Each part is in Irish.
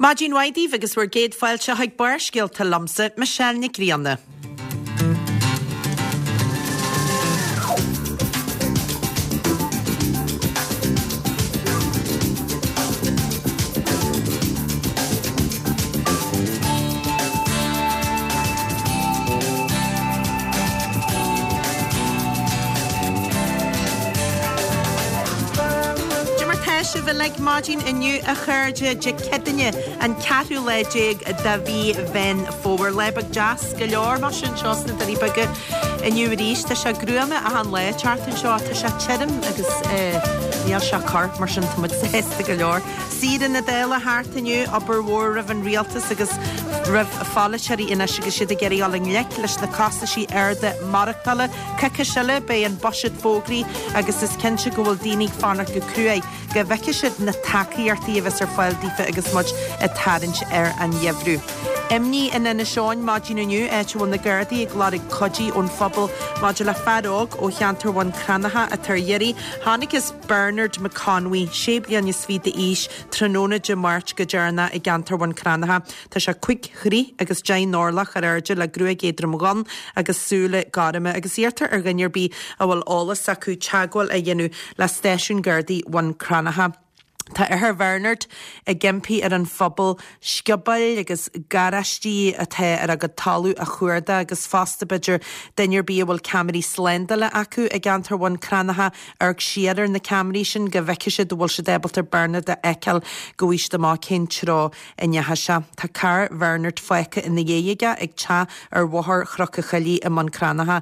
Maidin mhaith daoibh agus bhur gcéad fáilte chuig Barrscéalta liomsa, Michelle Nic Grianna. Cad é mar tá sibh uilig maidin inniu a chairde, Dé Céadaoine an ceathrú lá déag de mhí Mheán Fómhair. Lá beag deas go leor mar sin anseo sna Doirí Beaga inniu arís. Tá sé gruama achan lá teacht anseo, tá sé tirim agus níl sé corr mar sin tá muid sásta go leor. Saoire na Dála thart inniu, obair mhór roimh an rialtas agus roimh pholaiteoirí anois agus iad ag iarraidh dul i ngleic leis na costaisí arda maireachtála. Coicís eile beidh an buiséad fógraithe agus is cinnte go bhfuil daoine ag fanacht go cruaidh go bhfeicfidh siad na tacaíochtaí a bheas ar fáil daofa agus muid ag tarraingt ar an gheimhreadh. Imní in Inis Eoghain maidin inniu, áit a bhfuil na Gardaí ag lorg cuidí ón phobal maidir le fear óg ó cheantar Bhun Cranncha atá ar iarraidh. Chonacthas Bernard McConway, sé bliana is fiche d'aois, tráthnóna Dé Máirt go deireanach i gceantar Bhun Cranncha. Tá sé 5 throigh agus 10 n-orlach ar airde le gruaig éadrom dhonn agus súile gorma agus iarrtar ar dhuine ar bith a bhfuil eolas acu teagmháil a dhéanamh le Stáisiún Gardaí Bhun Cranncha. Tá athair Bhernard ag impí ar an phobal sciobóil agus garáistí atá ar a gcuid talamh a chuardach agus fosta b'fhéidir duine ar bith a bhfuil ceamaraí slándála acu i gceantar Bhun Cranncha amharc siar ar na ceamaraí sin go bhfeicfidh siad an bhfuil siad ábalta Bernard a fheiceáil go bhfaighidh siad amach cén treo a ndeachaigh sé. Tá carr Bhernard fágtha ina dhiaidh aige ag teach ar Bhóthar Chnoc an Choilligh i mBun Cranncha.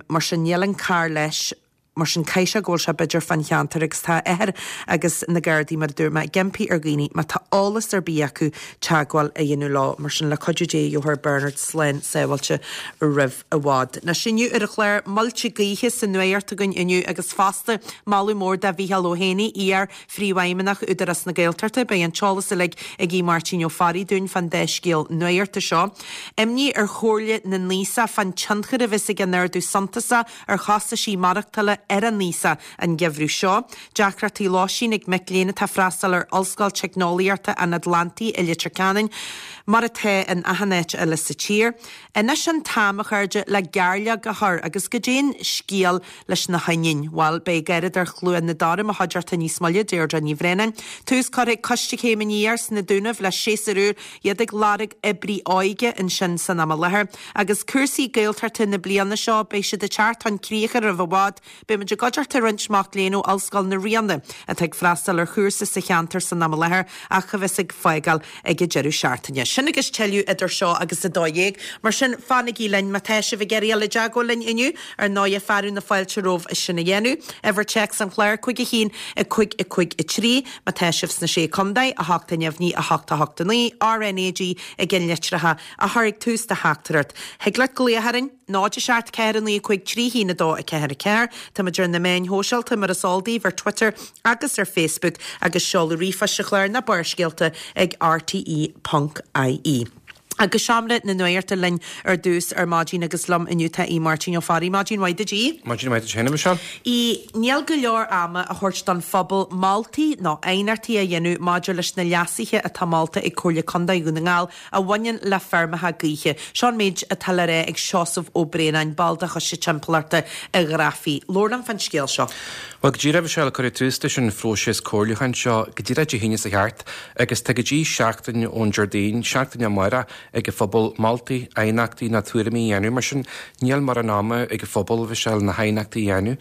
Mar sin níl an carr leis. Mar sin caithfidh sé go bhfuil sé b'fhéidir fán cheantar agus tá a athair agus na Gardaí mar a dúirt mé ag impí ar dhaoine má tá eolas ar bith acu teagmháil a dhéanamh leo. Mar sin le cuidiú Dé gheofar Bernard slán sábháilte roimh i bhfad. Anois inniu ar an chlár, muilte gaoithe sa nuacht againn inniu agus fosta moladh mór do Mhícheál Ó hÉanaí, iar Phríomhfheidhmeannach Údarás na Gaeltachta. Beidh an t-eolas uilig ag Aodh Máirtín Ó Fearraigh dúinn fán dá scéal nuachta seo. Imní ar Chomhairle na nAosach fán tionchar a bheas ag an ardú suntasach ar chostaisí maireachtála ar an aosach an geimhreadh seo. Deacrachtaí lóistín ag mic léinn atá ag freastal ar Ollscoil Teicneolaíochta an Atlantaigh i Leitir Ceanainn, mar atá in achan áit eile sa tír. Anois an t-am, a chairde, le gairleog a chur agus goidé an scéal leis na hoinniúin? Bhuel, beidh Garradóir Chluain na Dara i mo chuideachta níos moille, Deirdre Ní Bhraonáin. Tús curtha ag Coiste Chéim Aniar sna Dúnaibh le séasúr úr, iad ag lorg oibrí óige ansin san am i láthair. Agus cúrsaí Gaeltachta na bliana seo, beidh siad ag teacht chun críche roimh i bhfad. Beidh muid i gcuideachta roinnt mac léinn ó Ollscoil na Ríona atá ag freastal ar chúrsa sa cheantar san am i láthair ach a bheas ag fágáil ag an deireadh seachtaine. Sin agus tuilleadh idir seo agus 12:00. Mar sin, fanaigí linn má tá sibh ag iarraidh dul i dteagmháil linn inniu. Ar ndóighe, fearadh na fáilte romhaibh sin a dhéanamh. Uimhir téacs an chláir, 5 1 5 5 3. Má tá sibh sna Sé Contae, 8 neamhní 8 8 9, RnaG i gceannlitreacha a chur ag tús do theachtaireacht. Thig leat glaoch orainn, 0 7 4 9 5 3 1 2 4 4. Táimid ar na meáin shóisialta, mar is eol daoibh, ar Twitter agus ar Facebook agus seoladh ríomhphoist an chláir ná Barrscéalta ag rte.ie. Agus Seomra na Nuachta linn ar dtús ar maidin agus liom inniu tá Aodh Máirtín Ó Fearraigh. Maidin mhaith duit, Aodh. Maidin mhaith duit féin, a Mhichelle. Aodh, níl go leor ama a thabhairt don phobal moltaí nó aighneachtaí a dhéanamh maidir leis na leasuithe atá molta ag Comhairle Contae Dhún na nGall a bhaineann le feirmeacha gaoithe. Seo an méid atá le rá ag Seosamh Ó Braonáin, ball de Choiste Timpeallachta an Ghrafaidh. Labhair liom fán scéal seo. Bhuel, go díreach, a Mhichelle, cuireadh tús leis an phróiseas comhairliúcháin seo go díreach Dé hAoine seo thart agus tá go dtí seachtain ón Déardaoin, seachtain amárach, ag an phobal moltaí, aighneachtaí nó tuairimí a dhéanamh. Mar sin, níl mórán ama ag an phobal, a Mhichelle, na haighneachtaí a dhéanamh.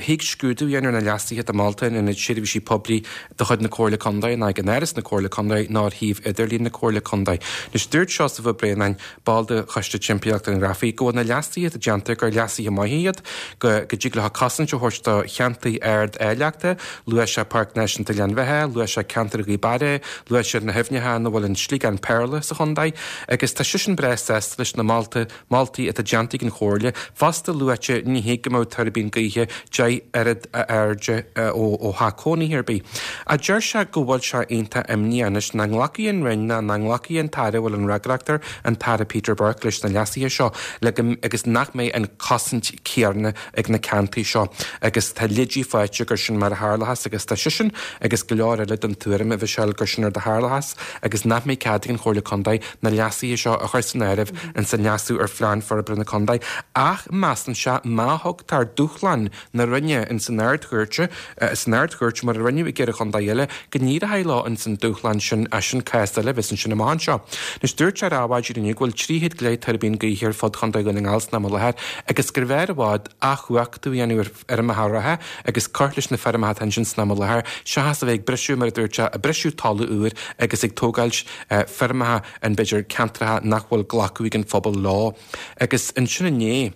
Thig scrúdú a dhéanamh ar na leasuithe atá molta in Ionad Seirbhísí Poiblí de chuid na Comhairle Contae, ná ag an Áras na Comhairle Contae ná ar shuíomh idirlín na Comhairle Contae. Anois, dúirt Seosamh Ó Braonáin, ball de Choiste Timpeallachta an Ghrafaidh, go bhfuil na leasuithe atá déanta gur leasuithe maithe iad, go go dtig leo cosaint a thabhairt do cheantair ard-áilleachta. Luaigh sé Páirc Náisiúnta Ghleann Bheatha, luaigh sé ceantar Ghaoth Beara, luaigh sé na haibhneacha ina bhfuil an sliogán péarla sa chontae. Agus tá seisean breá sásta leis na molta, moltaí atá déanta ag an Chomhairle. Fosta luaite ní hé go mbeadh tuirbín gaoithe 10 oiread a airde ó theach cónaithe ar bith. Ach deir sé go bhfuil sé iontach imníoch anois nach nglacfaidh an Roinn ná nach nglacfaidh an tAire a bhfuil an fhreagracht air, an tAire Peter Burke, leis na leasuithe seo le go agus nach mbeidh an chosaint chéanna ag na ceantair seo agus tá leidí faighte gur sin mar a tharlóchas agus tá seisean agus go leor eile den tuairim, a Mhichelle, gur sin rud a tharlóchas agus nach mbeidh cead ag an Chomhairle Contae na leasuithe seo a chur san áireamh ins an leasú ar Phlean Forbartha na Contae ach measann sé má thugtar dúshlán na Roinne ins an Ard-Chúirt san Ard-Chúirt mar a rinneadh i gceithre chontae eile go n-éireoidh leo ins an dúshlán sin ach sin cás eile a bheas ansin amach anseo. Anois dúirt sé ar Adhmhaidin inniu go bhfuil 300 go leith tuirbín gaoithe ar fud Chontae Dhún na nGall san am i láthair agus gurbh fhearr i bhfad athchumhachtú a dhéanamh ar fheirmeacha reatha agus cur leis na feirmeacha atá ansin san am i láthair seachas a bheith ag briseadh mar a dúirt sé ag briseadh talamh úr agus ag tógáilt feirmeacha in b'fhéidir ceantracha nach bhfuil glacadh ag an phobal leo. Agus ansin inné.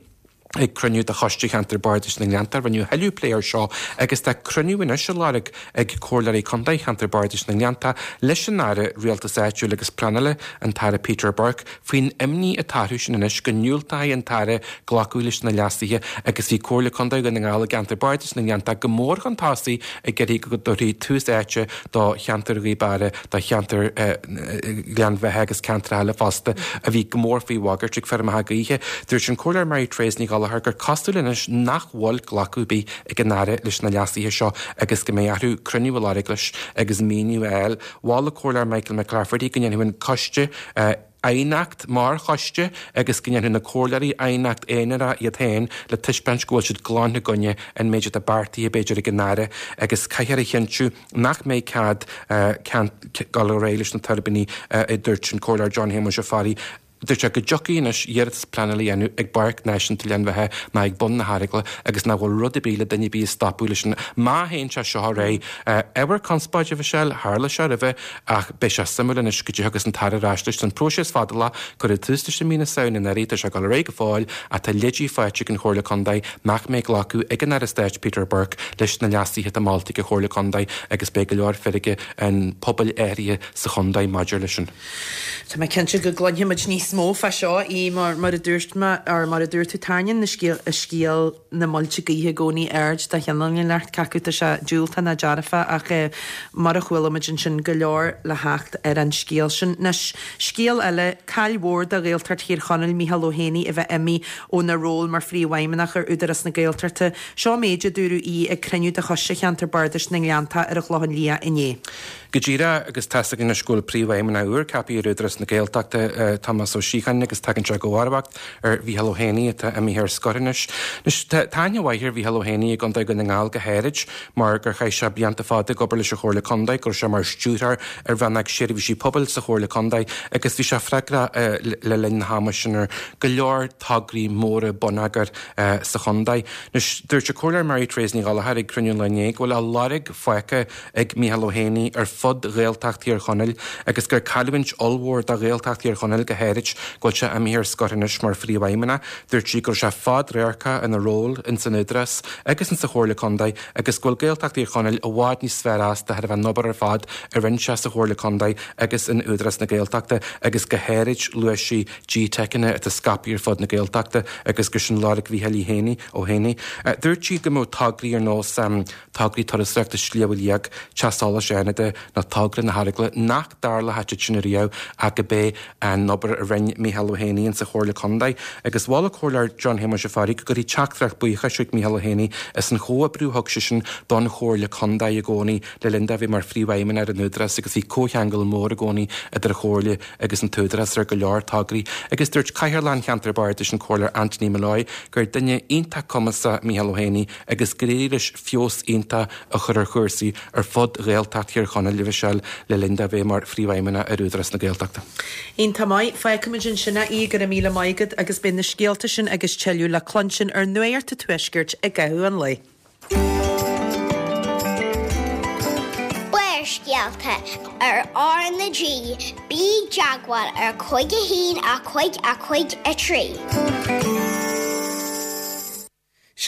Ag cruinniú de Choiste Cheantar Bardais na nGleannta rinneadh tuilleadh plé air seo agus tá cruinniú anois á lorg ag Comhairleoirí Contae Cheantar Bardais na nGleannta leis an Aire Rialtais Áitiúil agus Pleanála, an tAire Peter Burke, faoin imní atá orthu sin anois go ndiúltóidh an tAire glacadh leis na leasuithe agus bhí Comhairle Contae Dhún na nGall i gCeantar Bardais na nGleannta go mór chun tosaigh ag iarraidh go dtabharfaí tús áite do cheantar Ghaoth Beara, do cheantar Ghleann Bheatha agus ceantracha eile fosta a bhí go mór faoi bhagairt ag feirmeacha gaoithe. Dúirt an Comhairleoir Mary Therese Ní Ghallchóir gur cosúil anois nach bhfuil glacadh ar bith ag an Aire leis na leasuithe seo agus go mbeidh orthu cruinniú a lorg leis agus míniú a fháil. Mhol an Comhairleoir Michael McClafferty go ndéanfadh an coiste aighneacht mar choiste agus go ndéanfadh na comhairleoirí aighneacht aonarach iad féin le taispeáint go bhfuil siad glan i gcoinne an méid atá beartaithe b'fhéidir ag an Aire agus caithfear a chinntiú nach mbeidh cead dul ar aghaidh leis na tuirbíní a dúirt an Comhairleoir John Shéamuis Ó Fearraigh. Dúirt sé go dtiocfaidh anois iarratas pleanála a dhéanamh ag bPáirc Náisiúnta Ghleann Bheatha ná ag bun na hEaragla agus nach bhfuil rud ar bith le duine ar bith a stopadh leis sin má théann sé seo ar aghaidh. Ábhar conspóide, a Mhichelle, tharla sé roimhe ach beidh sé suimiúil anois goidé a thiocfas an tAire ar ais leis. Tá an próiseas fadálach, cuireadh tús leis i mí na Samhna anuraidh, tá sé ag dul ar aghaidh go fóill ach tá leidí faighte ag an Chomhairle Contae nach mbeidh glacadh ag an Aire Stáit Peter Burke leis na leasuithe atá molta ag an Chomhairle Contae agus beidh go leor feirge an pobail áirithe sa chontae maidir leis sin. Tá mé cinnte go gcluinfimid níos mó fá seo í mar mar a dúirt mé or mar a dúirt tú tarraingíonn na scéal scéal na muilte gaoithe i gcónaí aird de chineál inteacht cé acu tá sé diúltach ná dearfach ach eh mar a chuala muid ansin go leor le theacht ar an scéal sin. Anois scéal eile, caill mhór do Ghaeltacht Thír Chonaill Mícheál Ó hÉanaí a bheith imithe óna ról mar Phríomhfheidhmeannach ar Údarás na Gaeltachta. Seo méid a dúradh í ag cruinniú de Choiste Cheantar Bardais na nGleanntach ar an Chlochán Liath inné. Go díreach, agus tá's againn anois go bhfuil Príomhfheidhmeannach úr ceaptha ar Údarás na Gaeltachta, Tomás Ó Síocháin, agus tagann sé i gcomharbacht ar Mhícheál Ó hÉanaí atá imithe ar scor anois. Anois, tá aithne mhaith ar Mhícheál Ó hÉanaí i gContae Dhún na nGall go háirid mar gur chaith sé blianta fada ag obair leis an Chomhairle Contae, go raibh sé mar stiúrthóir ar Rannóg Seirbhísí Pobail sa Chomhairle Contae agus bhí sé freagrach le linn na hama sin ar go leor tograí móra bonneagair sa chontae. Anois, dúirt an Comhairleoir Mary Therese Ní Ghallchóir ag cruinniú an lae inné go bhfuil a lorg fágtha ag Mícheál Ó hÉanaí ar fud Ghaeltacht Thír Chonaill agus gur cailliúint ollmhór do Ghaeltacht Thír Chonaill go háirid go bhfuil sé imithe ar scor anois mar Phríomhfheidhmeannach. Dúirt sí go raibh sé fadradharcach ina ról ins an Údarás agus ins an Chomhairle Contae agus go bhfuil Gaeltacht Thír Chonaill i bhfad níos fearr as de thairbhe an obair ar fad a rinne sé sa Chomhairle Contae agus in Údarás na Gaeltachta agus go háirid luaigh sí GTeiceanna atá scaipthe ar fud na Gaeltachta agus gur sin lorg Mhícheáil Uí Héanaí, Ó hÉanaí. Dúirt sí go mbeadh tograí ar nós tograí turasóireachta Sliabh Liag, Teach Solais Fhánada nó togra na hEaragla nach dtarlódh siad sin ariamh ach go b'é an obair a rinne Mícheál Ó hÉanaí insa Chomhairle Contae. Agus mhol an Comhairleoir John Shéamuis Ó Fearraigh go gcuirfí teachtaireacht buíochais chuig Mícheál Ó hÉanaí as an chomhoibriú a thug seisean don Chomhairle Contae i gcónaí le linn dó a bheith mar Phríomhfheidhmeannach ar an Údarás agus bhí comhcheangal mór i gcónaí idir an Chomhairle agus an tÚdarás ar go leor tograí agus dúirt Cathaoirleach an Cheantair Bardais an Comhairleoir Anthony Molloy gur duine iontach cumasach Mícheál Ó hÉanaí agus gur éirigh leis feabhas iontach a chur ar chúrsaí ar fud Ghaeltacht Thír Chonaill, a Mhichelle, le linn dó bheith mar Phríomhfheidhmeannach ar Údarás na Gaeltachta. Iontach maith. Fágfaimid ansin é, go raibh míle maith agat agus beidh na scéalta sin agus tuilleadh le cluinstin ar Nuacht an Tuaiscirt i gcaitheamh an lae. Barrscéalta ar R na G, bí i dteagmháil ar 5 1 5 5 3.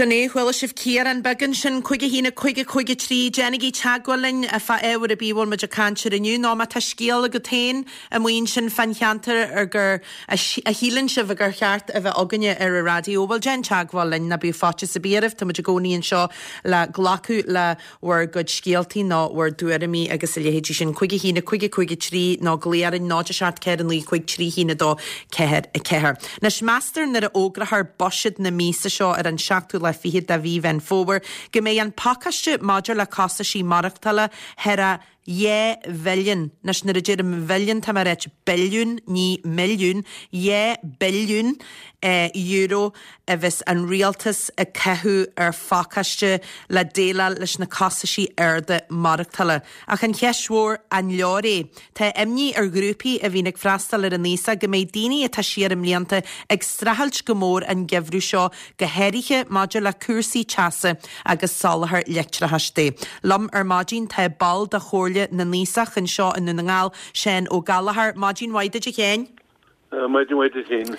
Sin é, chuala sibh Ciarán beag ansin, 5 1 5 5 3, déanaigí teagmháil linn fá ábhar ar bith a bhfuil muid ag caint air inniu, nó má tá scéal agat féin amuigh ansin fán cheantar ar gur, a shíleann sibh gur cheart a bheith againne ar an raidió, bhuel déan teagmháil linn, ná bíodh faitíos ar bith oraibh, tá muid i gcónaí anseo le glacadh le bhur gcuid scéaltaí nó bhur dtuairimí agus a leithéidí sin. 5 1 5 5 3 nó glaoigh orainn 0 7 4 9 5 3 1 2 4 4. Anois, meastar nuair a fhógrófar buiséad na míosa seo ar an seachtú lá fichead de mhí Mheán Fómhair go mbeidh an pacáiste maidir le costaisí maireachtála thar a 2 bhilliún, anois nuair a deirim bhilliún tá mé ag ráit billiún ní milliún, 2 billiún euro a bheas an rialtas ag caitheamh ar phacáiste le déileáil leis na costaisí arda maireachtála. Ach an cheist mhór, an leor é? Tá imní ar ghrúpaí a bhíonn ag freastal ar an aosach go mbeidh daoine atá siar i mblianta ag streachailt go mór an geimhreadh seo, go háirithe maidir le cúrsaí teasa agus soláthar leictreachais de. Liom ar maidin tá ball de Chomhairle na nAosach anseo i nDún na nGall, Seán Ó Gallchóir. Maidin mhaith duit a Sheáin. Maidin mhaith duit féin.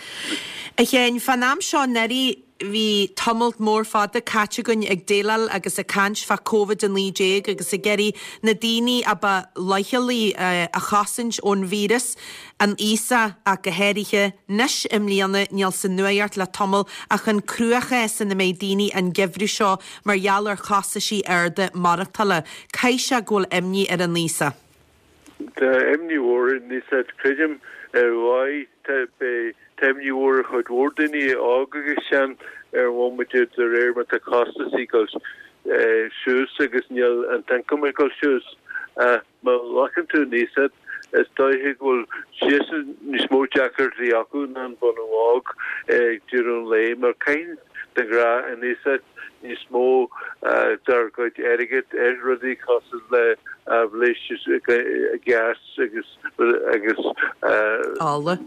A Sheáin, fán am seo anuraidh bhí tamalt mór fada caite againn ag déileáil agus ag caint fá Covid-19 agus ag iarraidh na daoine a ba leochailí a chosaint ón víreas, an aosach ach go háirithe. Anois i mbliana níl sa nuacht le tamall ach an cruachás ina mbeidh daoine an geimhreadh seo mar gheall ar chostaisí arda maireachtála. Caithfidh sé go bhfuil imní ar an aosach. Tá imní mhór ar an aosach, creidim, ar dhóigh. Tá imní mhór ar chuid mhór daoine, óg agus sean, ar an bhomaite de réir mar tá costasaí ag dul suas agus níl an t-ioncam ag dul suas. Ach má ghlacann tú an aosach, is dóiche go bhfuil siadsan níos mó deacrachtaí acu ná an bunadh óg ag deireadh an lae mar caitheann de ghnáth an aosach níos mó dár gcuid airgid ar rudaí cosúil le aibhléis gás agus agus ola.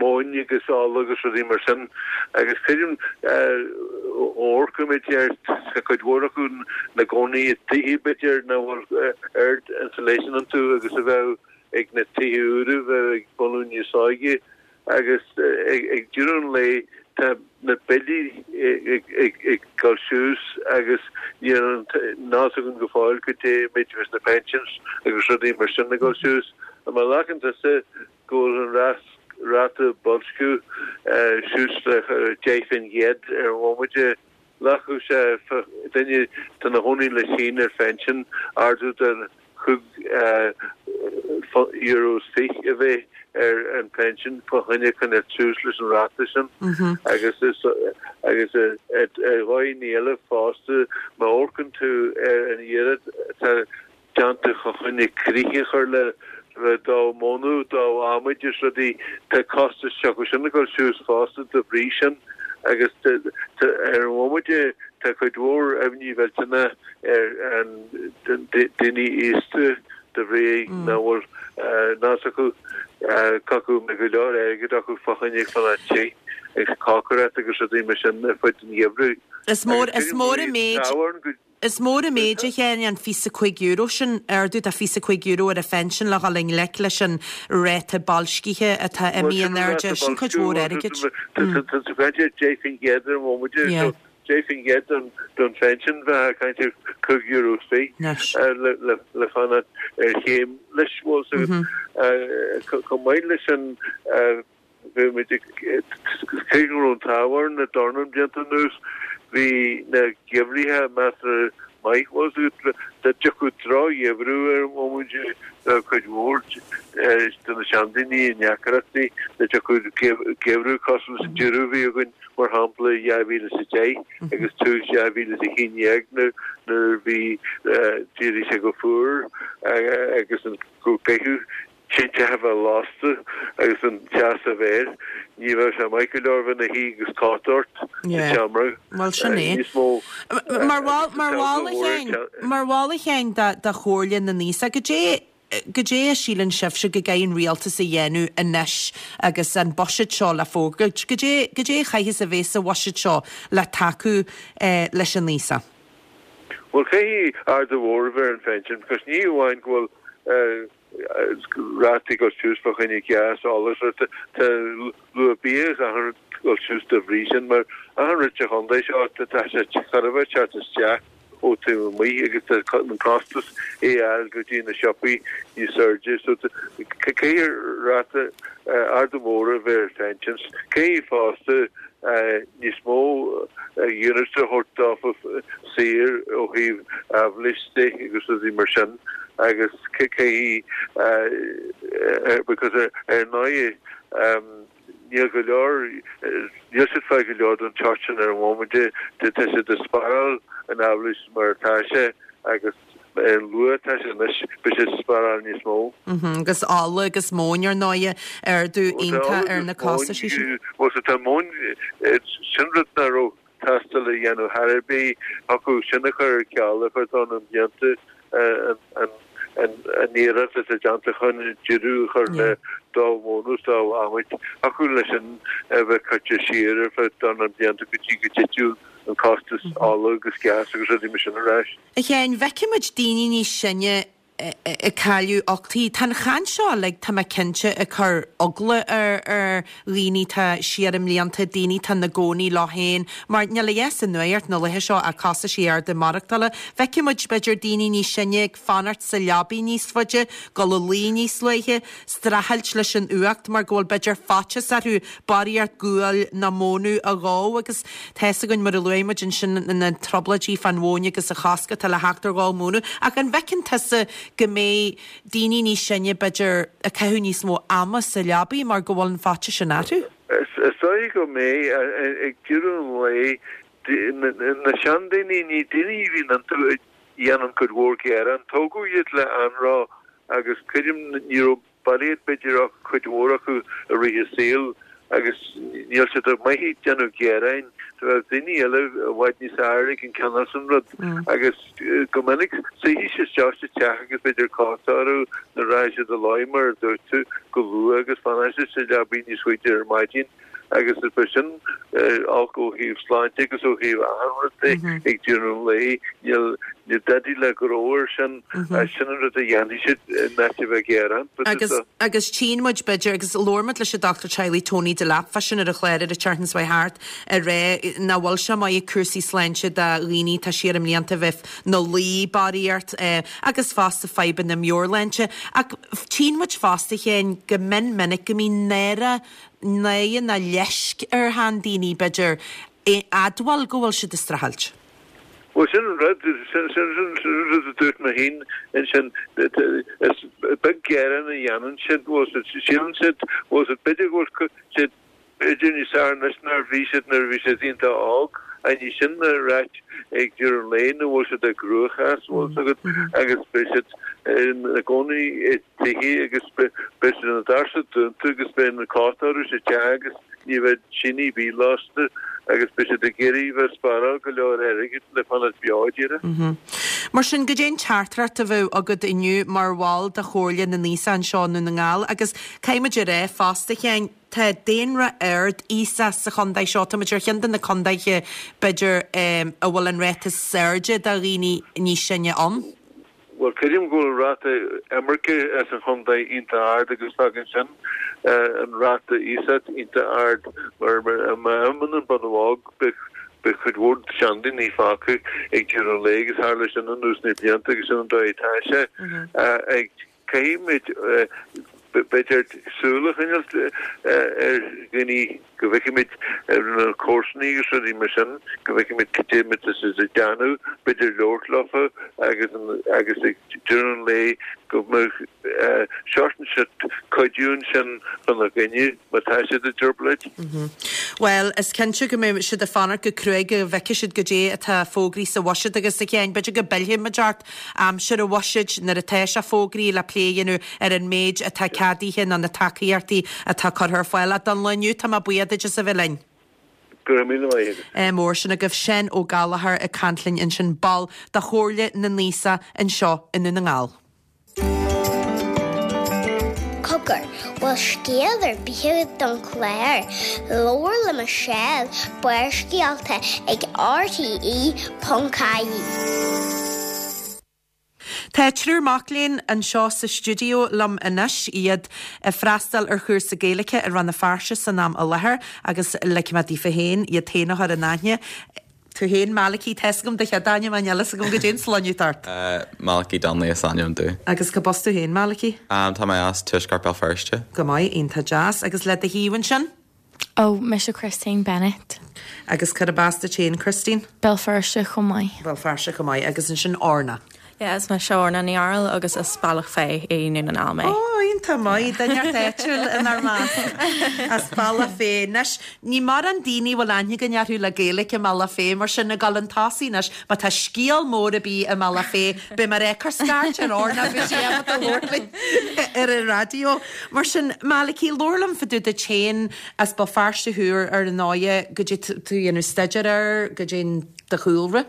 Móin agus ola agus rudaí mar sin. Agus creidim amharcaimid ar tá cuid mhór acu ina gcónaí i dtithe b'fhéidir nach bhfuil oiread insulation iontu agus a bheadh ag na tithe úra a bheadh ag bunadh níos óige. Agus ag deireadh an lae tá na billí ag dul suas agus níl an nós againn go fóill goidé an méid a bheas na pensions agus rudaí mar sin ag dul suas. Má ghlacann tusa go bhfuil an ráta boilsciú suas le 10% ar an bhomaite, Ghlacfadh sé duine atá ina chónaí leis féin ar phension ardú de €5 is fiche a bheith ar an pension fá choinne coinneáil suas leis an ráta sin agus agus ar dhóigh eile fosta má amharcann tú ar an iarracht atá déanta fá choinne críche a chur le do mhónadh, do adhmaid is rudaí, tá costas s'acu sin ag dul suas fosta de bhrí sin agus ar an bhomaite tá cuid mhór imní mhillteanach ar an daoine aosta de bhrí nach bhfuil nós acu acu go mbeidh go leor airgid acu fá choinne fanacht te agus cócaireacht agus rudaí mar sin ar fud an gheimhridh. Is mór is mór an méid. Is mór an méid, a Sheáin, an €25 sin, ardú de €25 ar an phension le dhul i ngleic leis an ráta boilscithe atá imithe in airde. Sin cuid mhór airgid. Tá tú ag caint ar 10% ar an bhomaite, so 10% don phension bheifeá ag caint ar €5 is fiche le fanacht ar chéim leis, bhfuil 's agat. Chomh maith leis sin, Bhí muid ag, cé go raibh an t-ádh orainn na dornán blianta anuas, bhí na geimhrithe measartha maith. Bhuel, dá dtiocfadh droch-gheimhreadh ar an bhomaite, bheadh cuid mhór de na seandaoine i ndeacrachtaí. Dá dtiocfadh geimhreadh cosúil leis an deireadh a bhí againn, mar shampla, i 2010 agus tús 2011 nuair a bhí, d'éirigh sé go fuar agus go gcaitheadh tinte a bheith lasta agus an teas a bheith air, ní bheadh sé maith go leor bheith ina shuí agus cóta ort sa tseomra. Bhuel, sin é. Níos mó Mar bhall, mar bhall a Sheáin, mar bhall a Sheáin de, de Chomhairle na nAosach, goidé, goidé a síleann sibhse go gcaithfidh an rialtas a dhéanamh anois agus an buiséad seo le fógairt? Goidé, goidé a chaithfeas a bheith sa bhuiséad seo le tacú leis an aosach? Bhuel, caithfidh ardú mhór a bheith ar an phension, because ní amháin go bhfuil. Rátaí ag dul suas fá choinne gás, ola, tá luach bia agus achan rud ag dul suas dá bhrí sin mar achan rud sa chontae seo tá sé chóir a bheith ag teacht isteach ó taobh amuigh agus tá an costas é a fháil go dtí na siopaí níos airde so caithfidh ráta ardú mór a bheith ar phensions. Caithfidh fosta níos mó units a thabhairt dófa saor ó thaobh aibhléis de agus rudaí mar sin agus caithfidh because ar ndóigh níl go leor níl siad fáil go leor den tseort sin ar an bhomaite tá siad ag spáráil an aibhléis mar atá sé agus ar an luach atá sé anois beidh siad ag spáráil níos mó. Agus ola agus móin ar ndóighe, ardú iontach ar na costaisí sin. Bhuel tá móin, sin rud nach raibh teastáil a dhéanamh thar ar bith, thiocfadh sin a chur ar ceal ar feadh dornán blianta an iarracht atá déanta chun deireadh a chur le dó móna is dó adhmaid, thiocfadh leis sin a bheith curtha siar ar feadh dornán blianta go dtí go dtitfeadh an costas ola agus gas agus rudaí mar sin ar ais. A Sheáin, feicimid daoine níos sine ag cailleadh uchtaí. Tá an chaint seo uilig, tá mé cinnte, ag cur eagla ar dhaoine atá siar i mblianta, daoine atá ina gcónaí leo féin, mar níl a fhios sa nuacht na laetha seo ach costaisí arda maireachtála. Feicimid, b'fhéidir, daoine níos sine ag fanacht sa leabaidh níos faide, dul a luí níos luaithe, streachailt leis an fhuacht mar go bhfuil b'fhéidir faitíos orthu barraíocht guail nó mónadh a dhó agus tá fhios againn mar a luaigh muid ansin na trioblóidí fán mhóin agus an chosc atá le theacht ar dhó móna. Ach an bhfeiceann tusa go mbeidh daoine níos sine b'fhéidir ag caitheamh níos mó ama sa leabaidh mar go bhfuil an faitíos sin orthu? Is dóigh go mbeidh. Ag deireadh an lae, na seandaoine, ní daoine a bhíonn iontu a dhéanann cuid mhór gearán. Tógadh iad le anró agus creidim ní raibh barraíocht b'fhéidir ach cuid mhór acu i rith a saoil agus níl siad maith ag déanamh gearáin. Tá daoine eile i bhfad níos fearr ag an cineál sin rud agus go minic suífidh siad isteach sa teach agus b'fhéidir cóta orthu nó rachaidh siad a luí mar a dúirt tú go luath agus fanfaidh siad sa leabaidh níos faide ar maidin. Agus is é sin olc ó thaobh sláinte agus ó thaobh achan rud de ag deireadh an lae. Níl dadaí le gnó air sin, sin an rud a dhéanfaidh siad in áit a bheith ag gearán. Agus, agus tchíonn muid b'fhéidir, agus labhair muid leis an dochtúir teaghlaigh Tony Delap fá sin ar an chlár ar an tseachtain seo thart, ag rá nach bhfuil sé maith ag cúrsaí sláinte do dhaoine atá siar i mblianta a bheith 'na luí barraíocht agus fosta fadhbanna meabhairshláinte. Ach tchíonn muid fosta, a Sheáin, go mion minic go mbíonn náire náire nó leisc ar sheandaoine, b'fhéidir, admháil go bhfuil siad ag streachailt. Bhuel, sin an rud, sin an rud a dúirt mé féin ansin, is beag gearán a dhéanann siad, bhfuil siad, síleann siad, bhfuil siad, b'fhéidir go bhfuil siad b'fhéidir níos fearr anois ná a bhí siad nuair a bhí siad iontach óg, ach ní sin a ráit ag deireadh an lae nó bhfuil siad i gcruachás, bhfuil fhios agat, agus beidh siad ina gcónaí i dtithe agus beidh na doirse dúnta agus beidh an cóta orthu sa teach agus ní bheidh tine ar bith lasta agus beidh siad ag iarraidh bheith spáráil go leor airgid le fanacht beo díreach. Mar sin, goidé an teachtaireacht a bheadh agat inniu mar bhall de Chomhairle na nAosach anseo i nDún na nGall agus caithfidh muid a rá fosta, a Sheáin, tá daonra ard aosach sa chontae seo, tá muid ar cheann de na contaetha b'fhéidir a bhfuil an ráta is airde de dhaoine níos sine ann. Bhuel, creidim go bhfuil ráta imirce as an chontae iontach ard agus fágann sin an ráta aosach iontach ard mar má imíonn an bunadh óg beidh cuid mhór seandaoine fágtha ag deireadh an lae agus tharla sin anuas na blianta agus sin an dóigh atá sé. Caithfimid b'fhéidir súil a choinneáil ar dhaoine go bhfeicfimid ar na comharsanaí agus rudaí mar sin, go bhfeicfimid cad é mar atá siad ag déanamh, b'fhéidir labhairt leofa agus agus ag deireadh an lae go mbeadh seort ansin cuidiú ansin chun a gcoinne má tá siad i dtrioblóid. Bhuel, is cinnte go mbeidh siad ag fanacht go cruaidh go bhfeicfidh siad goidé atá fógraithe sa bhuiséad agus a Sheáin, b'fhéidir go bpillfidh muid ort Aimsir an bhuiséid, nuair atá sé fógraithe le plé a dhéanamh ar an méid atá ceadaithe nó na tacaíochtaí atá curtha ar fáil. Ach don lá inniu, tá mé buíoch duit as a bheith linn. Go raibh míle maith agat. Ádh mór. Sin agaibh Seán Ó Gallchóir ag caint linn ansin, ball de Chomhairle na nAosach anseo i nDún na nGall. Cogar, bhfuil scéal ar bith agat don chlár? Labhair le Michelle, Barrscéalta ag RTE.ie. Tá triúr mac léinn anseo sa stiúideo liom anois, iad ag freastal ar chúrsa Gaeilge i Rann na Feirste san am i láthair agus ligfidh mé daofa féin iad féin a chur in aithne. Tú féin, Malachy, tá 'fhios agam do chéad ainm ach níl 'fhios agam goidé an sloinne atá ort. Malachy Donnelly is ainm domh. Agus cad as tú féin, Malachy? Tá mé as Tuaisceart Béal Feirste. Go maith, iontach deas. Agus le do thaobh ansin? Ó, mise Christine Bennett. Agus cárb as duit féin, Christine? Béal Feirste chomh maith. Béal Feirste chomh maith. Agus ansin Orna. Yeah, is mise Orna Ní Fhearghail agus as Bealach Féich i nDún na nGall mé. Ó, iontach maith, duine inteacht áitiúil inár measc as Bealach Féich. Anois, ní mórán daoine a bhfuil aithne againn orthu le Gaeilge i mBealach Féich, mar sin ag dul chun tosaigh anois, má tá scéal mór ar bith i mBealach Féich, beidh mé ag cur scairt ar Orna, beidh sí ábalta labhairt linn ar an raidió. Mar sin, Malachy, labhair liom fá dtaobh duit féin, as Béal Feirste thú ar ndóighe, goidé tá tú a dhéanamh staidéar air, goidé do chúlra.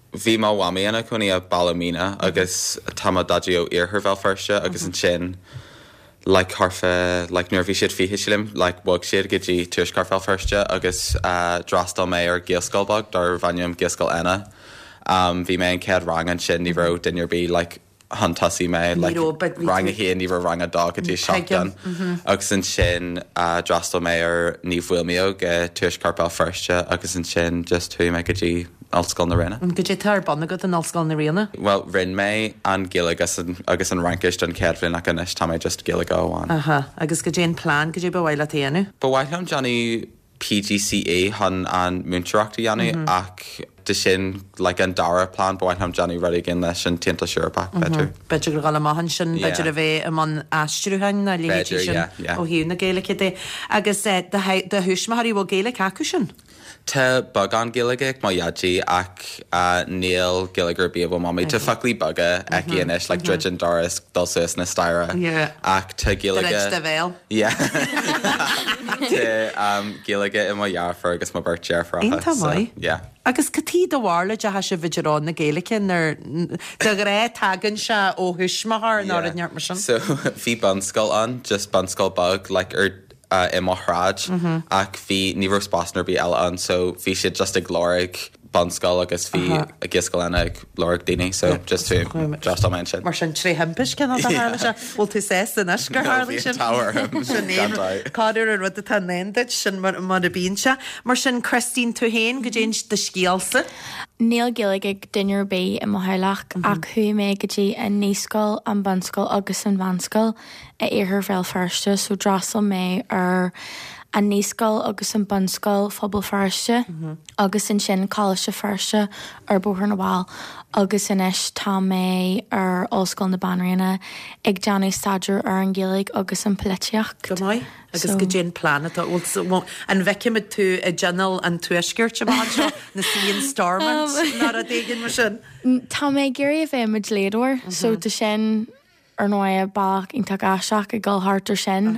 Bhí mo mhamaí ina cónaí i Ballymena agus tá mo dhaidí ó iarthar Bhéal Feirste agus ansin like thart fá like nuair a bhí siad 20 sílim like bhog siad go dtí tuaisceart Bhéal Feirste agus d'fhreastail mé ar Ghaelscoil beag darbh ainm Gaelscoil Éanna. Bhí mé an chéad rang ansin ní raibh duine ar bith like chun tosaigh mé like rang a haon, ní raibh rang a dó go dtí 7 ann. Agus ansin d'fhreastail mé ar Naomh Feidhlimidh i Tuaisceart Béal Feirste agus ansin just chuaigh mé go dtí Ollscoil na Ríona. Goidé tá ar bun agat in Ollscoil na Ríona? Bhuel, rinne mé an Ghaeilge agus an Fhraincis don chéad bhliain ach anois tá mé just Gaeilge amháin. Aha, agus goidé an plean, goidé ba mhaith leat a dhéanamh? Ba mhaith liom déanamh PGCE chun an múinteoireacht a dhéanamh ach de sin like an dara plean ba mhaith liom déanamh rud éigin leis an tAontas Eorpach b'fhéidir. B'fhéidir gur dhul amach ansin, b'fhéidir a bheith i mbun aistriúcháin nó a leithéidí sin ó thaobh na Gaeilge de. Agus do thuismitheoirí, bhfuil Gaeilge acu sin? Tá beagán Gaeilge ag mo dhaidí ach níl Gaeilge ar bith ag mo mhamaí. Tá foclaí beaga aici anois like druid an doras, dul suas na staighre ach tá Gaeilge. Druid do bhéal. Yeah. Tá Gaeilge ag mo dheirfiúr agus mo beirt deirfiúracha. Iontach maith. Yeah. Agus cad chuige do bharúil a dteachaidh sibh i dtreo na Gaeilge nuair de ghnáth tagann sé ó thuismitheoir nó rud inteacht mar sin? So bhí bunscoil ann, just bunscoil beag like ar i mo shráid ach bhí, ní raibh spásanna ar bith eile ann so bhí siad just ag lorg bunscoil agus bhí Gaelscoil Éanna ag lorg daoine so just d'fhreastail mé ansin. Mar sin tré thimpist cineál de tharla sé. Bhfuil tú sásta anois gur tharlaigh sin? Bhí an t-ádh orm, Sin é, gan dabht. Corruair an rud atá i ndán duit, sin mar a bíonn sé. Mar sin Christine, tú féin, goidé do scéalsa. Níl Gaeilge ag duine ar bith i mo theaghlach ach chuaigh mé go dtí an naíscoil, an bunscoil agus an mheánscoil i Iarthar Bhéal Feirste so d'fhreastail mé ar an naíscoil agus an bunscoil Phobal Feirste agus ansin Coláiste Feirste ar Bóthar na bhFál agus anois tá mé ar Ollscoil na Banríona ag déanamh staidéar ar an Ghaeilge agus an polaitíocht. Go maith. Agus goidé an plean atá, bhfuil, an bhfeicfimid tú i dTionól an Tuaiscirt amach anseo, ina suí in Stormont nó rud éigin mar sin? Tá mé ag iarraidh a bheith i mo dhlíodóir so tá sin Ar ndóigh, bealach iontach aisteach ag dul thart ar sin.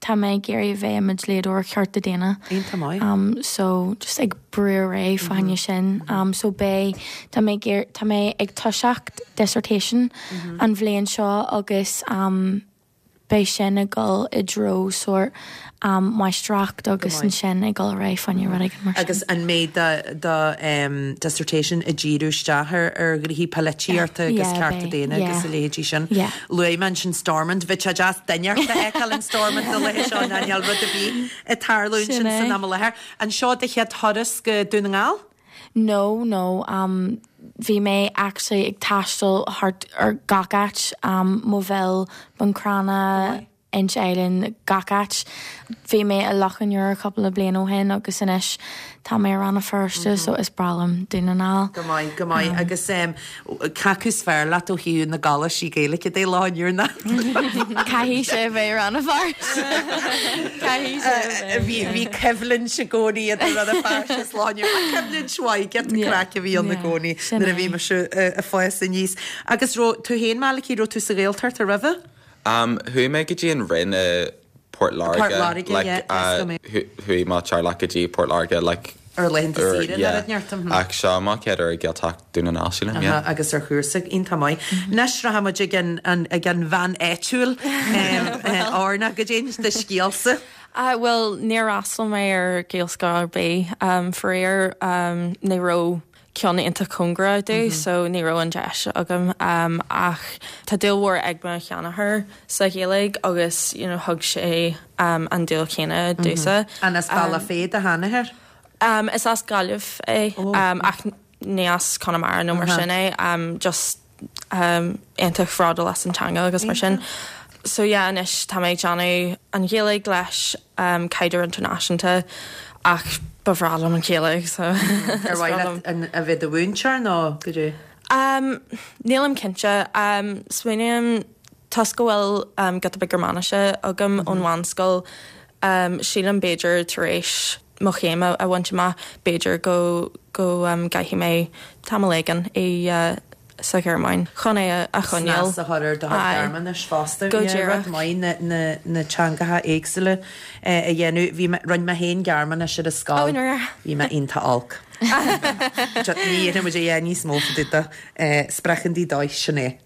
Tá mé ag iarraidh a bheith i mo dhlíodóir cearta daonna. Iontach maith. So, just ag brú ar aghaidh fá choinne sin. So beidh, tá mé ag iarraidh, tá mé ag toiseacht dissertation an bhliain seo agus beidh sin ag dul i dtreo sórt máistreacht agus ansin ag dul ar aghaidh fá choinne rud éigin mar sin. Agus an mbeidh do dissertation ag díriú isteach ar ghnoithí polaitíochta agus cearta daonna agus a leithéidí sin? Luaigh mé ansin Stormont, bheadh sé deas duine a fheiceáil in Stormont na laethe seo ná níl rud ar bith ag tarlú ansin san am i láthair. An seo do chéad thuras go Dún na nGall? No, no, bhí mé actually ag taisteal thart ar gach áit, Maigh Bhil, Bun Cranncha, Inse Eilean, gach áit. Bhí mé i Loch an Iúir cúpla bliain ó shin agus anois tá mé i Rann na Feirste so is breá liom Dún na nGall. Go maith, go maith. Agus cé acu is fearr leat ó thaobh na gcoláistí Gaeilge de, Loch an Iúir ná? Caithfidh sé a bheith Rann na Feirste. Caithfidh sé a bheith. Bhí, bhí coimhlint i gcónaí idir Rann na Feirste is Loch an Iúir. Ach coimhlint mhaith, giota craic a bhí ann i gcónaí nuair a bhí mise ag fás aníos. Agus raibh tú féin, Malachy, raibh tú sa Ghaeltacht roimhe? Um, chuaigh mé go dtí an Rinn i Port Láirge. Port Láirge, like, yeah, uh, chuaigh mo teaghlach go dtí Port Láirge, like, ar laethanta saoire yeah. nó rud inteacht. Ach seo mo chéad uair i Gaeltacht Dún na nGall, sílim, yeah. Agus ar chúrsa iontach maith. Anois rachaidh muid ag an, ag an bhean áitiúil, Orna, goidé do scéalsa. Bhuel, níor fhreastail mé ar Ghaelscoil ar bith. Faraor, ní raibh. ceann iontach cóngarach domh so ní raibh an deis agam ach tá dúil mhór ag mo sheanathair sa Ghaeilge agus you know thug sé an dúil chéanna domhsa. An as Bealach Féich do sheanathair? Is as Gaillimh é ach ní as Conamara nó mar sin é just iontach bhródúil as an teanga agus mar sin. So yeah anois tá mé ag déanamh an Ghaeilge leis caighdeán idirnáisiúnta ach ba bhreá liom an Ghaeilge so Ar mhaith leat a bheith i do mhúinteoir nó goidé? Nílim cinnte. Smaoiním toisc go bhfuil giota beag Gearmáinise agam ón mheánscoil sílim b'fhéidir tar éis mo chéim a bhaint amach, b'fhéidir go go gcaithfidh mé tamall éigin i sa Ghearmáin chun é a choinneáil. Snas a chur ar do chuid Gearmáinis fosta. Go díreach. Rud maith na na na teangacha éagsúla a dhéanamh. Bhí mé, rinne mé féin Gearmáinis ar an scoil. Ó, nár. Bhí mé iontach olc. Ní dhéanfaidh muid a dhath níos mó fá dtaobh de. Sprechen Sie Deutsch, sin é.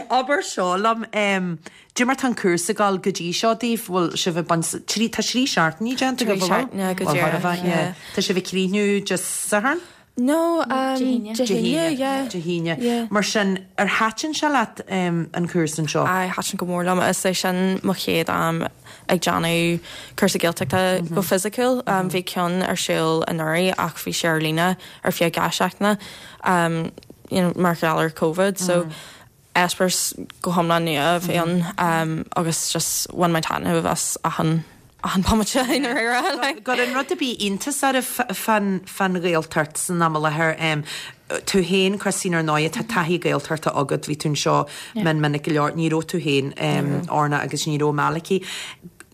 Abair seo liom. Cad é mar tá an cúrsa ag dul go dtí seo daoibh, bhfuil sibh ag baint, trí, tá trí seachtainí déanta agaibh, an bhfuil? Trí seachtaine go díreach, yeah. Tá sibh ag críochnú Dé Sathairn? No, Dé Dé hAoine, yeah. Dé hAoine. Yeah. Mar sin, ar thaitin sé leat an cúrsa anseo? Aye, thaitin go mór liom. Is é sin mo chéad am ag déanamh cúrsa Gaeltachta go fisiciúil. Bhí ceann ar siúl anuraidh ach bhí sé ar líne ar feadh 2 seachtaine, you know, mar gheall ar Covid. So, eispéireas go hiomlán nua a bhí ann agus just bhain mé taitneamh as achan achan bomaite i ndáiríre like. Gcuireann rud ar bith iontas oraibh fán fán Ghaeltacht san am i láthair? Tú féin, Christine, ar ndóigh, tá taithí Gaeltachta agat, bhí tú anseo mion minic go leor, ní raibh tú féin, Orna, agus ní raibh Malachy.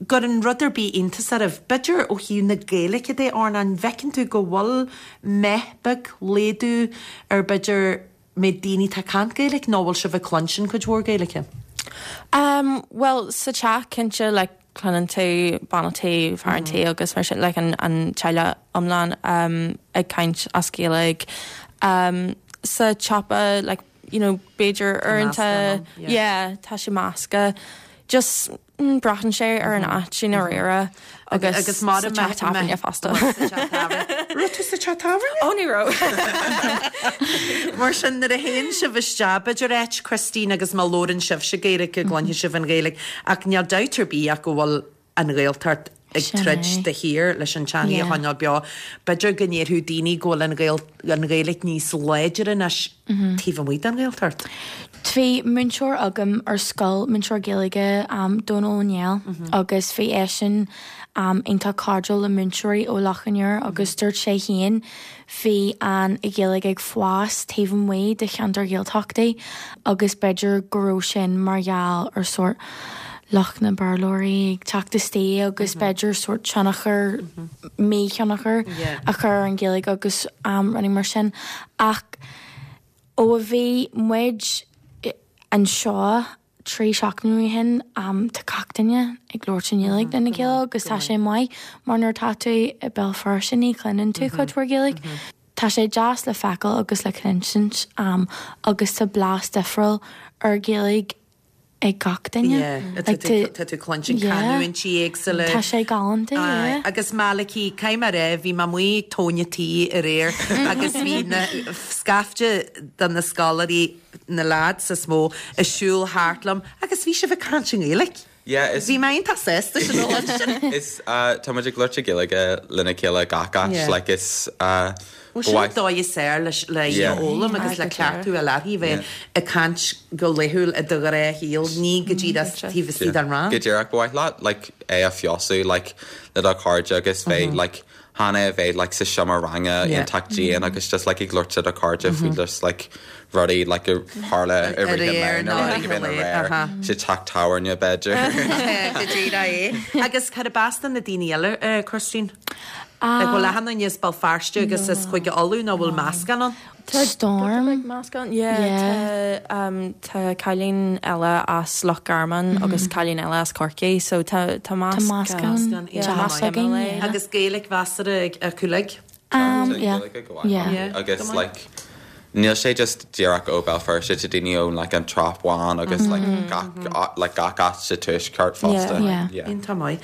Gcuireann rud ar bith iontas oraibh? B'fhéidir ó thaobh na Gaeilge de, Orna, an bhfeiceann tú go bhfuil meath beag, laghdú ar b'fhéidir méid daoine atá ag caint Gaeilge nó bhfuil sibh ag cluinstin cuid mhór Gaeilge? Um bhuel sa teach cinnte like cluineann tú bean an tí, fear an tí agus mar sin like an an teaghlach iomlán um ag caint as Gaeilge. Um sa tsiopa like you know b'fhéidir uaireanta yeah tá sé measctha. Just Braitheann sé ar an áit i ndáiríre agus sa teach tábhairne fosta. Raibh tú sa teach tábhairne? Ó ní raibh. Mar sin nuair a théann sibh isteach b'fhéidir áit Christine agus má labhrann sibhse Gaeilge go gcluinfidh sibh an Ghaeilge ach níl dabht ar bith ach go bhfuil an Ghaeltacht ag troid de shíor leis an teangaidh a choinneáil beo. B'fhéidir go ndéarfadh daoine go bhfuil an Ghaeilge níos láidre anois taobh amuigh den Ghaeltacht. Bhí múinteoir agam ar scoil, múinteoir Gaeilge, Dónal Ó Néill, agus bhí eisean iontach cairdiúil le múinteoirí ó Loch an Iúir agus dúirt sé féin bhí an Ghaeilge ag fás taobh amuigh de cheantair Ghaeltachtaí agus b'fhéidir go raibh sin mar gheall ar sórt lucht na Béarlóirí ag teacht istigh agus b'fhéidir sórt tionchar, míthionchar a chur ar an Ghaeilge agus rudaí mar sin. Ach ó a bhí muid anseo 3 seachtaine ó shin, tá gach duine ag labhairt i nGaeilge lena chéile agus tá sé maith mar nuair atá tú i Béal Feirste ní chluineann tú cuid mhór Gaeilge. Tá sé deas le feiceáil agus le cluinsint agus tá blas difriúil ar Ghaeilge ag gach duine. Yeah, tá tú cluinstin canúintí éagsúla. Tá sé galánta, yeah. Agus Malachy, caithfidh mé a rá, bhí mé amuigh ag tóin an tí aréir agus bhí na scaifte de na scoláirí, na lads is mó, ag siúl thart liom agus bhí sibh ag caint i nGaeilge. Yeah, is. Bhí mé iontach sásta sin a chloistin. Is, tá muid ag labhairt i Gaeilge lena chéile gach áit, Yeah. like is, ba Bhuel, sin mhaith. dóigh is fearr leis, le í a Yeah. fhoghlaim agus le Aye, go cleachtadh díreach. a leathaí bheith Yeah. ag caint go laethúil i do ghnáthshaol, ní go díreach taobh istigh den rang. Go díreach, ba mhaith leat like é a fheabhsú like le do chairde agus bheith like chan é a bheith like sa seomra ranga iontach dian agus just like ag labhairt le do chairde faoi just like rudaí like a tharla i rith an lae nó rudaí a bhíonn aréir sa teach tábhairne b'fhéidir. Go díreach é. Agus cad as do na daoine eile, Christine? Like bhfuil achan duine as Béal Feirste agus as Cúige Uladh nó bhfuil meascán ann? Tá Storm. Meascán, yeah. Tá tá cailín eile as Loch Garman agus cailín eile as Corcaigh, so tá tá meascán deas againn, yeah. Agus Gaeilge mheasartha acu uilig? Um, yeah. Gaeilge go mhaith. Yeah. Agus like. Níl sé just díreach ó Béal Feirste, tá daoine ó like an Trá Bháin agus like gach like gach áit sa tuaisceart fosta. Yeah. Yeah. Iontach maith.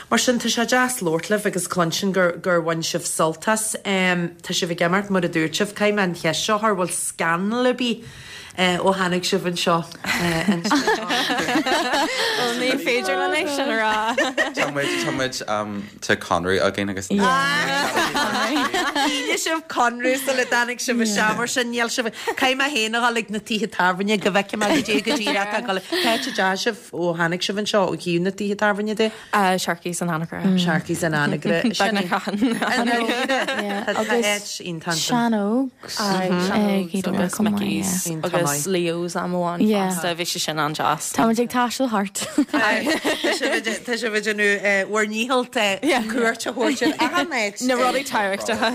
Mar sin tá sé deas labhairt libh agus cluinstin gur gur bhain sibh sult as. Tá sibh ag imeacht mar a dúirt sibh. Caithfidh mé an cheist seo a chur, bhfuil scannal ar bith ó tháinig sibh anseo? Bhuel ní féidir linn é sin a rá. Tá muid tá muid tá conradh againn agus Shínigh sibh conradh sula dtáinig sibh isteach mar sin níl sibh Caithfidh mé féin a dhul ag na tithe tábhairne go bhfeicfidh mé go dtí go dtí atá ag dul. Cá háit a dteachaigh sibh ó tháinig sibh anseo ó thaobh na tithe tábhairne de? Sharkey's in Anagaire. Sharkey's in Anagaire. Beagnach achan. Agus Sean Ógs. Agus Mickey's agus Leo's am amháin fosta, bhí sé sin an-deas. Tá muid ag taisteal thart. Tá sibh ag déanamh bhur ndícheall cuairt a thabhairt ar achan áit. Na rudaí tábhachtacha.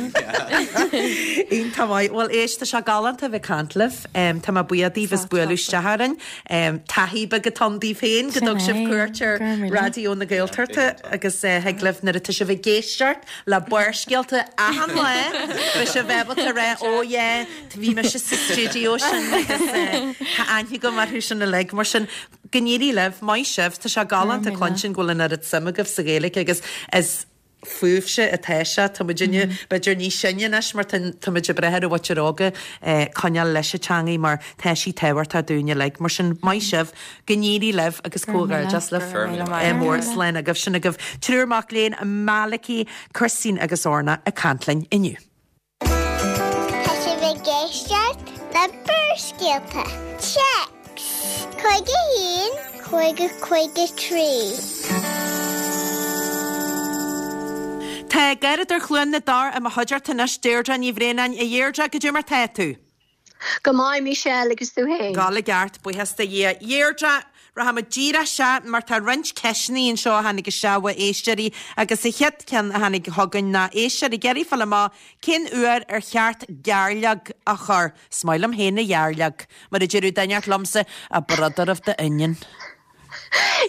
Iontach maith. Bhuel éist, tá sé galánta a bheith ag caint libh. Tá mé buíoch daoibh as bualadh isteach orainn. Taithí beag atá ann daoibh féin go dtug sibh cuairt ar Raidió na Gaeltachta agus thig libh nuair atá sibh ag éisteacht le Barrscéalta achan lá beidh sibh ábalta a rá oh yeah bhí mise sa stiúideo sin agus tá aithne agam orthu sin uilig. Mar sin go n-éirí libh, maith sibh, tá sé galánta cluinstin go bhfuil an oiread suim agaibh sa Ghaeilge agus is fúibhse atá sé. Tá muidinne b'fhéidir níos sine anois mar tá muid ag brath ar an mhuintir óga coinneáil leis an teangaidh mar tá sí tábhachtach dúinn uilig. Mar sin maith sibh, go n-éirí libh agus comhghairdeas libh. Mór slán agaibh. Sin agaibh triúr mac léinn, Malachy, Christine agus Orna ag caint linn inniu. Tá sibh ag éisteacht le Barrscéalta. Téacs 51 50 53. Tá Garradóir Chluain na dTor i mo chuideachta anois, Deirdre Ní Bhraonáin. A Dheirdre, goidé mar tá tú? Go maith, Michelle, agus tú féin? Ag gabháil i gceart, buíochas do Dhia. Deirdre, rachaimid díreach isteach mar tá roinnt ceisteanna anseo a tháinig isteach ó éisteoirí agus an chéad ceann a tháinig chugainn ná éisteoir ag iarraidh fáil amach cén uair ar cheart gairleog a chur. Is maith liom féin an ghairleog, mar a deireadh duine inteacht liomsa, a brother of the onion.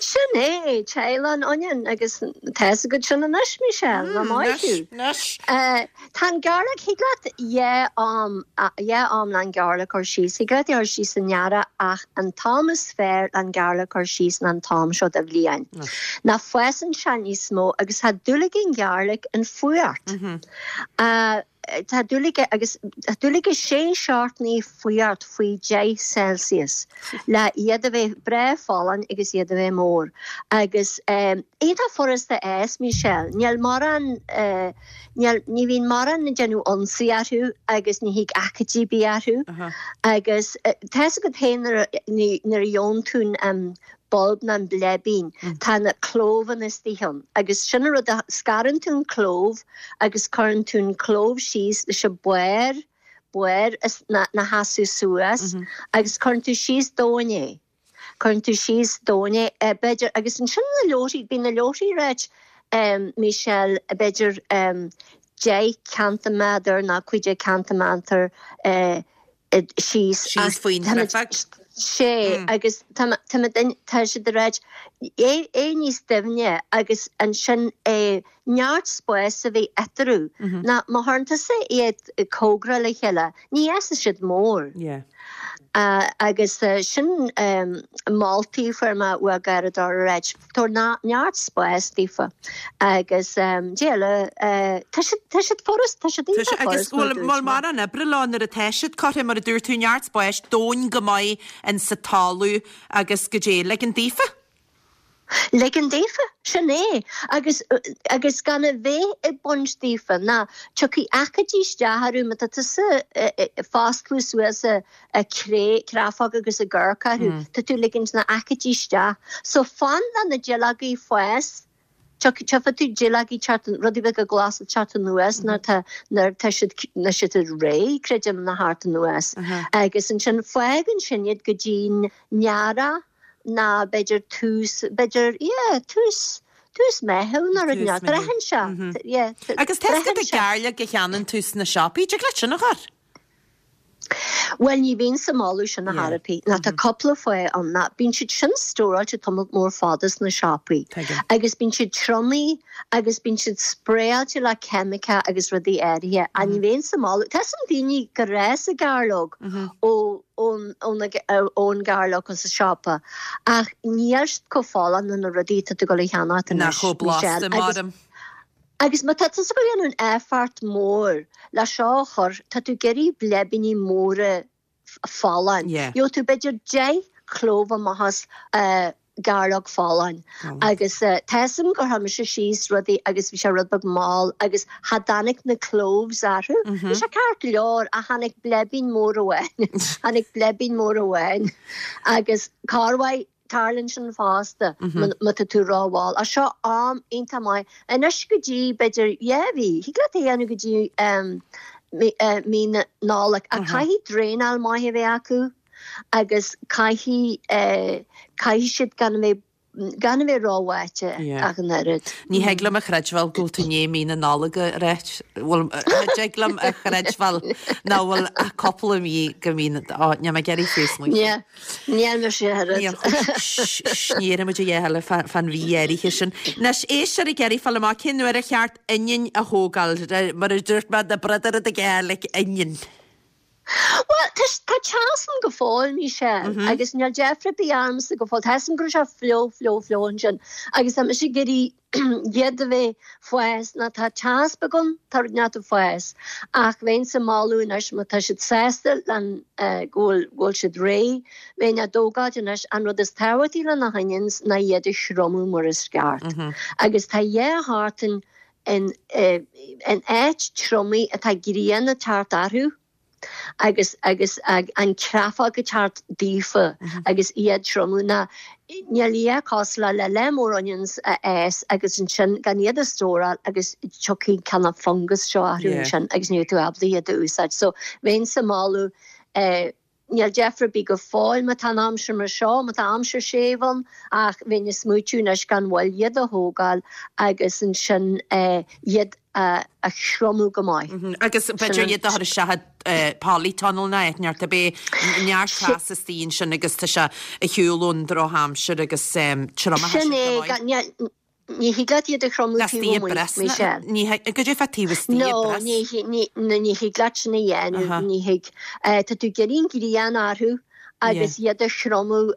Sin é, teaghlach an onion, agus tá fhios agat sin anois, Michelle, nach maith thú. Anois. Tá an gairleog, thig leat dhá am, dhá am le an gairleog a chur síos, thig leat é a chur síos san earrach ach an t-am is fearr le an gairleog a chur síos ná an t-am seo de bhliain. Ná fásann sé níos mó agus tá dúil ag an ghairleog an fuacht. Tá dúil aige agus tá dúil aige sé seachtainí fuacht faoi 10 Celsius le iad a bheith breá folláin agus iad a bheith mór. Agus iontach furasta a fhás, Michelle. Níl mórán, níl, ní bhíonn mórán ag déanamh ionsaí orthu agus ní thig aicídí ar bith orthu. Agus tá fhios agat féin nuair a, nuair a gheobhann tú an bulb nó an bleibín, tá na clóbhanna istigh ann agus sin an rud a, scarann tú an clóbh agus cuireann tú an clóbh síos leis an barr, barr ina sheasamh suas agus cuireann tú síos domhain é, cuireann tú síos domhain é, b'fhéidir, agus ansin na leoraí, bíonn na leoraí ráit, Michelle, b'fhéidir 10 ceintiméadar nó 15 ceintiméadar, síos. Síos faoin gcreafag. Sé, agus tá tá siad ag ráit é é níos doimhne agus ansin é neart spáis a bheith eatarthu. Ná má chuireann tusa iad cóngarach le chéile, ní fhásfaidh siad mór. Agus sin moltaí a fuair mé ó gharradóir ag ráit. Tabhair neart spáis daofa agus Dia le, tá siad, tá siad furast, tá siad iontach furast mar a dúirt mé. Bhfuil mórán oibre leo nuair atá siad curtha, mar a dúirt tú, neart spáis, domhain go maith in sa talamh agus goidé, ligean daofa? Ligean daofa, sin é. Agus, agus gan a bheith ag baint daofa, ná tiocfaidh aicídí isteach orthu má tá tusa ag foscladh suas a, ag cré, creafóg agus ag amharc orthu, tá tú ag ligint na aicídí isteach. So fan le na duilleogaí fás, tchífidh tú duilleogaí teacht, rudaí beaga glasa teacht anuas nuair tá, nuair tá siad, nuair siad réidh, creidim, le theacht anuas. Agus ansin fág ansin iad go dtí'n earrach ná b'fhéidir tús, b'fhéidir, yeah, tús, tús Meitheamh nó rud inteacht. Braitheann sé, yeah, Agus tá fhios agat an gairleog a cheannaíonn tú sna siopaí, dtig leat sin a chur? Bhuel, ní bheinnse ag moladh sin ar chor ar bith, ná tá cúpla fáth ann, ná bíonn siad sin stóráilte tamall mór fada sna siopaí agus bíonn siad triomaithe agus bíonn siad spraeáilte le ceimice agus rudaí áirithe ach ní bheinnse ag moladh, tá 'fhios a'm daoine gur fhás a gairleog ó ón gairleog sa siopa ach níl siad chomh folláin ná na rudaí atá tú ag dul a cheannacht anois, Nach chomh blasta, Michelle. Agus má tá tusa ag dul a dhéanamh an effort mór le seo a chur, tá tú ag iarraidh bleibíní móra folláin. Gheobhaidh tú b'fhéidir 10 clóbh amach as gairleog folláin. Agus tá 'fhios a'm gur chuir mise síos rudaí agus bhí sé rud beag mall agus cha dtáinig na cloves orthu. Bhí sé ceart go leor ach tháinig bleibín mór amháin. Tháinig bleibín mór amháin. Agus corruair Tarlaíonn sin fosta má tá tú rómhall. Ach seo am iontach maith anois go dtí b'fhéidir dhá mhí. Thig leat é a dhéanamh go dtí mí na Nollag. Ach caithfidh draenáil maith a bheith acu agus caithfidh caithfidh siad gan a bheith gan a bheith róbháite ach an oiread. Ní thig liom a chreidbheáil go bhfuil tú i ndiaidh mí na Nollag a ráit. Bhuel, cha dtig liom a chreidbheáil nach bhfuil ach cúpla mí go mí na, ó, níl mé ag iarraidh fiú smaointiú. Níl mise oiread. Ní déarfaidh muid a dhath eile fán mhí áirithe sin. Anois, éisteoir ag iarraidh fáil amach cén uair ar cheart oinniún a thógáil, mar a dúirt mé, na brodaire de Ghaelic, oinniún. Bhuel, tá teas ann go fóill, Michelle, agus níl deifre ar bith ormsa go fóill. Tá 'fhios a'm go raibh sé fliuch, fliuch, fliuch ansin agus tá mise ag iarraidh iad a bheith fás ná tá teas beag ann, tá rud inteacht ag fás ach bheinnse ag moladh anois má tá siad sásta len go bhfuil go bhfuil siad réidh, bheinn á dtógáilt anois. An rud is tábhachtaí le na honions ná iad a thriomú mar is ceart agus tá dhá sheachtain in in áit triomaithe atá grian ag teacht orthu. agus agus an chreafóg ag teacht daofa agus iad triomú ná níl a dhath cosúil le le lear mór onions a fhás agus ansin gan iad a stóráil agus tiocfaidh cineál fungus seo orthu ansin agus ní bheidh tú ábalta iad a úsáid. So bheinnse ag moladh eh níl deifre ar bith go fóill má tá an aimsir mar seo, má tá aimsir séimh ann ach bheinn ag smaoitiú anois gan mhoill iad a thógáil agus ansin eh iad a thriomú go maith. Agus b'fhéidir iad a chur isteach i polytunnel nó áit inteacht a bheidh neart teas istigh ansin agus tá sé ar shiúl ón drochaimsir agus triomaithe Sin é, go maith. Ní thig leat iad a thriomú taobh amuigh, Michelle. Ní thig, goidé fá taobh istigh i bpress? No, ní thig leat sin a dhéanamh, ní thig. Tá tú ag iarraidh an ghrian orthu agus iad a thriomú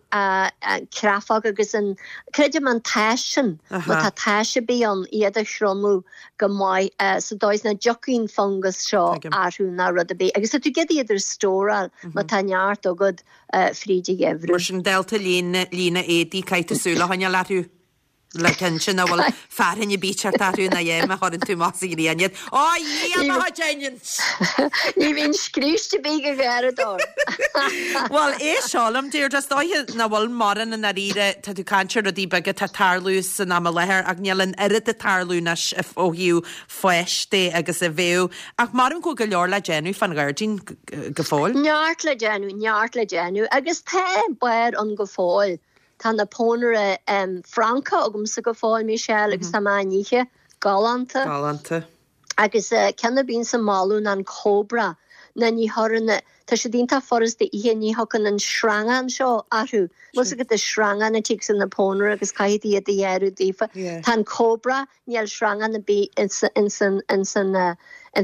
creafóg agus an, creidim an taos sin, má tá taos ar bith ann, iad a thriomú go maith sa dóigh is nach dtiocfaidh an fungas seo orthu ná rud ar bith. Agus tá tú ag iarraidh iad a stóráil má tá neart agat fríd an gheimhreadh. Mar sin, dálta líne éadaí, caithfidh tú súil a choinneáil orthu. Le cinnte nach bhfuil fearthainn ar bith ag teacht orthu ná é má chuireann tú amach sa ghrian iad. Ó a Dhia mo chuid onions! Ní bhíonn scríste ar bith go ghearradóir. Bhuel, éist seo liom, Deirdre, is dóiche nach bhfuil mórán i ndáiríre, tá tú ag caint ar rudaí beaga atá ag tarlú san am i láthair ach níl an oiread ag tarlú anois ó thaobh fáis de agus a bheadh. Ach maram go bhfuil go leor le déanamh fán ghairdín go fóill. Neart le déanamh, neart le déanamh agus tá barr ann go fóill. Tá na pónaire Francacha agamsa go fóill, Michelle, agus tá mé á n-ithe. Galánta. Galánta. Agus ceann a bhíonns ag moladh ná an Cobra, ná ní chuireann, tá siad iontach furasta a ithe, ní thiocfaidh an sreangán seo orthu. Bhfuil 's agat an sreangán a thig sa na pónaire agus caithfidh tú iad a ghearradh daofa. Tá an Cobra, Níl sreangán ar bith ins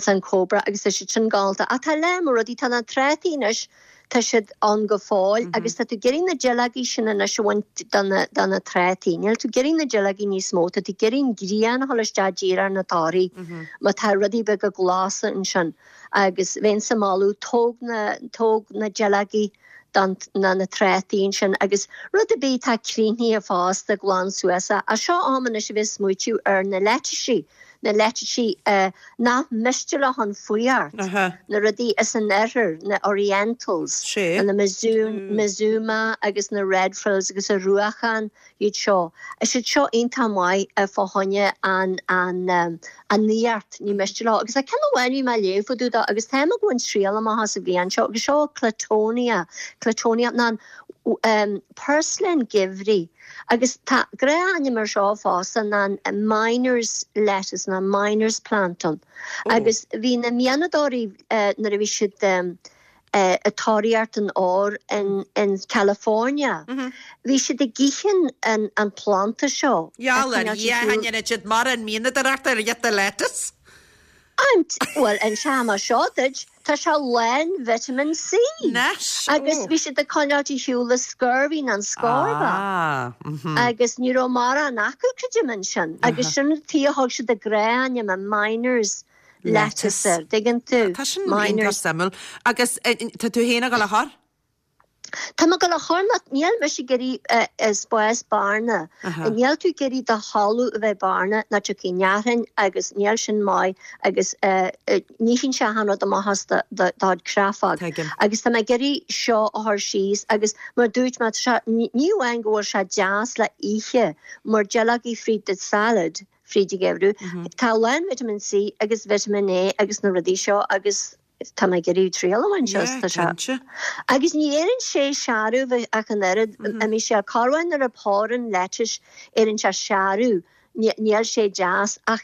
an Cobra agus tá siad sin galánta. Ach tá lear mór rudaí, tá na trátaí anois, tá siad ann go fóill agus tá tú ag iarraidh na duilleogaí sin anois a bhaint de na trátaí. Níl tú ag iarraidh na duilleogaí níos mó, tá tú ag iarraidh an ghrian a dhul isteach díreach ar na torthaí má tá rudaí beaga glasa ansin agus bheinnse ag moladh tóg na, tóg na duilleogaí de na na trátaí ansin agus rud ar bith atá críochnaithe fosta glan suas é. Ach seo am anois a bheith ag smaoitiú ar na leitisí, na leitisí nach miste leo an fuireacht, na rudaí as an oirthear, na orientals, na Mizuna agus na red frills agus an ruachán. iad seo. Is iad seo iontach maith fá choinne an an an fhuireacht, ní miste leo. Agus tá ceann amháin a bhí mé ag léamh fá dtaobh dó agus táim ag baint triail amach as an bhliain seo agus seo Claytonia, Claytonia ná an purslane geimhridh agus tá gnáthainm ar seo fosta ná an miner's lettuce ná miner's plant ann. Agus bhí na mianadóirí nuair a bhí siad. Ag tóraíocht an óir in California. Bhí siad ag ithe an planda seo. Gheall ar Dhia, an ndéanann siad mórán mianadóireachta ar ghiota lettuce? Bhuel, inseoidh mé seo duit, tá sé lán vitamin C. Anois, Agus bhí siad ag coinneáilt ar shiúl an scurvy nó an scórbach. Agus ní raibh mórán acu, creidim, ansin. Agus sin an tuige a thug siad a gnáth-ainm, an miners. lettuce air, dtuigeann tú? Tá sin iontach suimiúil. Agus tá tú féin ag dul a chur? Tá mé ag dul a chur nó níl mise ag iarraidh spás bearna. Níl tú ag iarraidh do thalamh a bheith bearna nó tiocfaidh neachain agus níl sin maith agus ní théann sé achan rud amach as do do chreafóg. Agus tá mé ag iarraidh seo a chur síos agus mar dúirt mé, tá sé, ní amháin go bhfuil sé deas le ithe mar duilleogaí fríd do salad, fríd an gheimhreadh. Tá a lán vitamin C agus vitamin A agus na rudaí seo agus tá mé ag iarraidh triail a bhaint as, tá sé. Agus ní éiríonn sé searbh ach an oiread, imíonn sé corruair nuair a pórann lettuce, éiríonn sé searbh, níl sé deas ach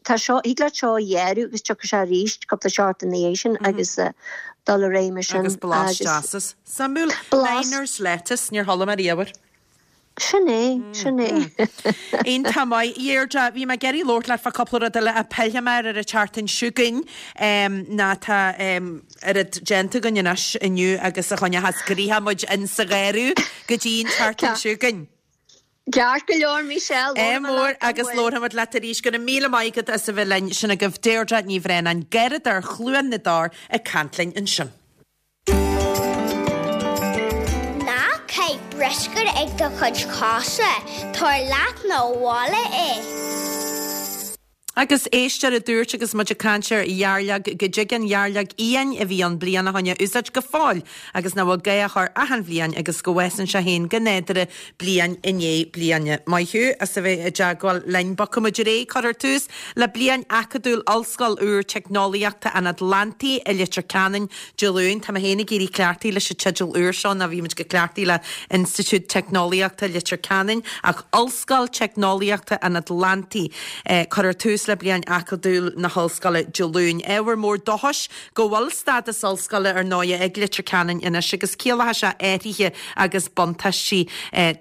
tá seo, thig leat seo a ghearradh agus tiocfaidh sé arís cúpla seachtain ina dhiaidh sin agus dul ar aghaidh mar sin. Agus blas deas as. Suimiúil. Miner's lettuce, níor chuala mé riamh air. Sin é, sin é. Iontach maith. Deirdre, bhí mé ag iarraidh labhairt leat fá cúpla rud eile ach pillfidh mé air ar an tseachtain seo chugainn ná tá oiread déanta againn anois inniu agus a choinneochas gnoitheach muid in sa gharradh go dtí an tseachtain seo chugainn. Ceart go leor, Michelle. Ádh mór agus labharfaidh muid leat arís. Go raibh míle maith agat as a bheith linn. Sin agaibh Deirdre Ní Bhraonáin, Garradóir Chluain na dTor ag caint linn ansin. Ná caith bruscar ag do chuid cosa, tabhair leat 'na bhaile é. Agus éisteoir a dúirt agus muid ag caint ar dhearlóg go dtig an dhearlóg fhiáin a bhí ann bliain ó shoin a úsáid go fóill agus nach bhfuil gá a chur achan bhliain agus go bhfásann sé féin go nádúrtha bliain i ndiaidh bliana. Maith thú as a bheith i dteagmháil linn. Bogfaidh muid ar aghaidh. Cuirfear tús le bliain acadúil Ollscoil úr Teicneolaíochta an Atlantaigh i Leitir Ceanainn Dé Luain. Tá mé féin ag éirí cleachtaithe leis an teideal úr seo ná bhí muid go cleachtaithe le Institiúid Teicneolaíochta Leitir Ceanainn ach Ollscoil Teicneolaíochta an Atlantaigh. Cuirfear tús le bliain acadúil na hollscoile Dé Luain. Ábhar mór dóchais go bhfuil stádas ollscoile ar ndóighe ag Leitir Ceanainn anois agus ciallóidh sé athruithe agus buntáistí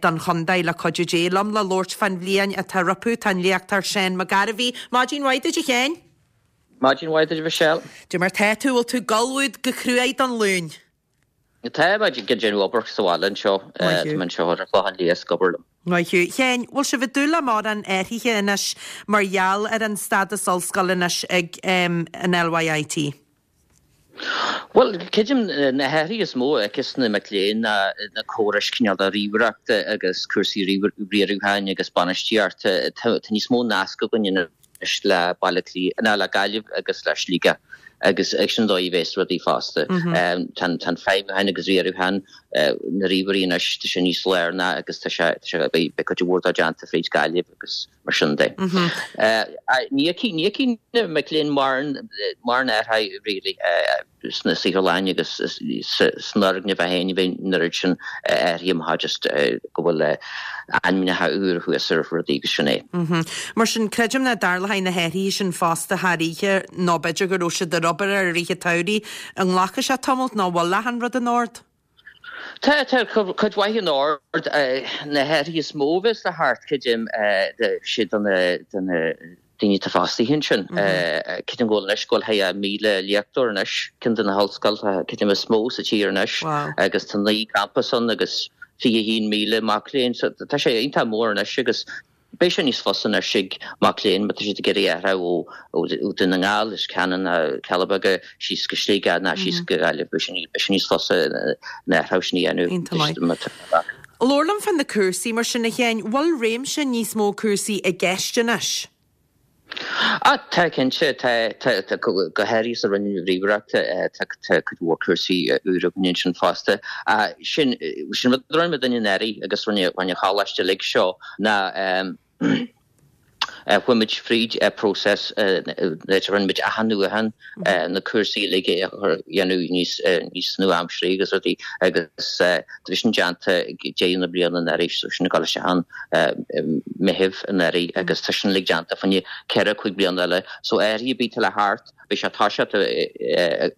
don chontae le cuidiú Dé. Liom le labhairt fán bhliain atá rompu tá an léachtóir Seán Mac Gairbhí. Maidin mhaith duit a Sheáin. Maidin mhaith duit a Mhichelle. Dé mar tá tú, bhfuil tú ag ullmhú go cruaidh don Luan? Tá mé ag déanamh obair sa bhaile anseo. Tá mé anseo ar an Chlochán Liath ag obair liom. Maith thú. Sheáin, bhfuil sibh ag dúil le mórán athruithe anois mar gheall ar an stádas ollscoile anois ag an LYIT? Bhuel, creidim na hathruithe is mó a fheicfeas na mic léinn ná na córais cineál de ríomhaireachta agus cúrsaí riaracháin agus bainistíochta. Tá níos mó nasc againn anois le Baile Átha Cliath, ná le Gaillimh agus le Sligeach agus sin an dóigh a bheas rudaí fosta. Tá an feidhmiúchán agus riarachán na ríomhairí anois, tá sé níos lárnaí agus tá sé, beidh cuid mhór dó déanta fríd Gaillimh agus. mar sin de. Ní fheicfidh na mic léinn mórán athraithe really sna saotharlanna agus san fhoirgneamh é féin, ní bheidh an oiread sin athraithe má just go bhfuil ainmneacha úr thuas ar rudaí agus sin é. Mar sin, creidim nach dtarlóidh na hathruithe sin fosta thar oíche nó b'fhéidir go raibh siad ar obair air i rith an tsamhraidh. An nglacfaidh sé tamalt nó bhfuil achan rud in ord? Tá, tá cuid mhaith in ord. Na hathruithe is mó a bheas le theacht, creidim, sé do na daoine atá fostaithe ansin. Creidim go bhfuil anois, go bhfuil thart ar 1,000 léachtóir anois, ceann de na hollscoileanna, creidim, is mó sa tír anois agus tá 9 gcampas ann agus 21,000 mac léinn. So tá sé iontach mór anois agus Beidh sé níos fusa anois ag mac léinn má tá siad ag iarraidh athrú ó Dún na nGall, Leitir Ceanainn ná Cealla Beaga síos go Sligeach ná síos go Gaillimh. Beidh sé níos fusa an athrú sin a dhéanamh. Iontach maith. Labhair liom fá na cúrsaí mar sin a Sheáin. Bhfuil réimse níos mó cúrsaí i gceist anois? Ah, tá cinnte. Tá, tá, go háirithe sa Roinn Ríomhaireachta, tá cuid mhór cúrsaí úra againn ansin fosta. Sin, sin rud a rinne muidinne anuraidh agus rinne an choláiste uilig seo ná chuaigh muid fríd próiseas, rinne muid athnuachan na cúrsaí uilig a dhéanamh níos, níos nua-aimseartha agus rudaí agus Tá sin déanta ag deireadh na bliana anuraidh, so sin ag dul isteach ann Meitheamh anuraidh agus tá sin uilig déanta fá choinne 4, 5 bliana eile. So athruithe ar bith atá le theacht. Beidh sé ag toiseacht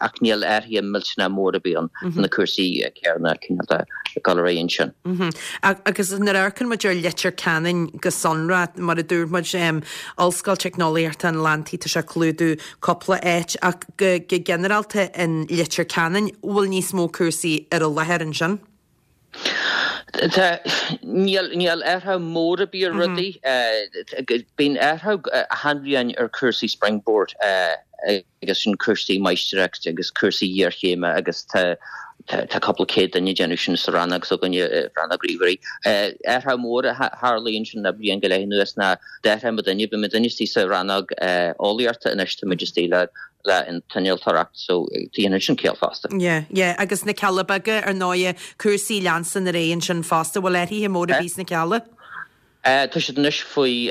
ach níl athruithe millteanach mór ar bith ann, tá na cúrsaí céanna cineál de ag dul ar aghaidh ansin. Agus nuair a amharcann muid ar Leitir Ceanainn go sonrach, mar a dúirt muid, Ollscoil Teicneolaíochta an Atlantaigh, tá sé ag clúdú cúpla áit ach go ginearálta in Leitir Ceanainn, bhfuil níos mó cúrsaí ar an láthair ansin? Tá, níl, níl athrú mór ar bith ar rudaí. Bíonn athrú achan bhliain ar cúrsaí Springboard agus sin cúrsaí máistreachta agus cúrsaí iarchéime agus tá tá cúpla céad duine ag déanamh sin sa rannóg s'againne, rannóg ríomhairí. Athrú mór a tharlaíonn ansin le bliain go leith anuas ná d'athraigh muidinne, bhí muidinne istigh sa rannóg eolaíochta anois tá muid istigh le le an t-innealtóireacht so déanann sin ciall fosta. Yeah, yeah, agus na Cealla Beaga ar ndóighe, cúrsaí leanstan ar aghaidh ansin fosta, bhfuil athruithe móra ar bith sna Cealla? Tá siad anois faoi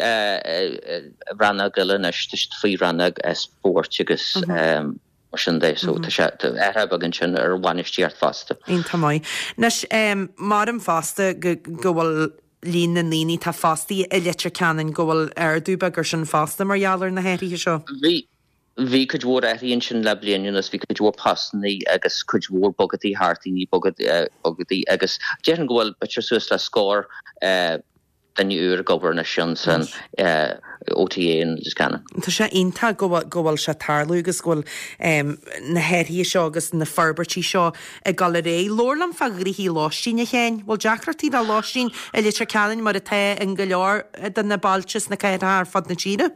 rannóg eile anois, tá siad faoi rannóg spóirt agus mar sin de, so tá sé, tá athrú beag ansin ar bhainistíocht fosta. Iontach maith. Anois, maram fosta go go bhfuil líon na ndaoine atá fostaithe i Leitir Ceanainn, go bhfuil ardú beag ar sin fosta mar gheall ar na hathruithe seo. Bhí, Bhí cuid mhór athruithe ansin le bliain anuas, bhí cuid mhór postannaí agus cuid mhór bogadaí thart, daoine bogadaí agus déarfainn go bhfuil b'fhéidir suas le scór duine úr ag obair anois ansan OTA in Leitir Ceanainn. Tá sé iontach go bhfuil go bhfuil sé ag tarlú agus go bhfuil na hathruithe seo agus na forbairtí seo ag dul ar aghaidh. Labhair liom fá ghnoithí lóistín, a Sheáin. Bhfuil deacrachtaí le lóistín i Leitir Ceanainn mar atá in go leor de na bailte is na cathracha ar fud na tíre?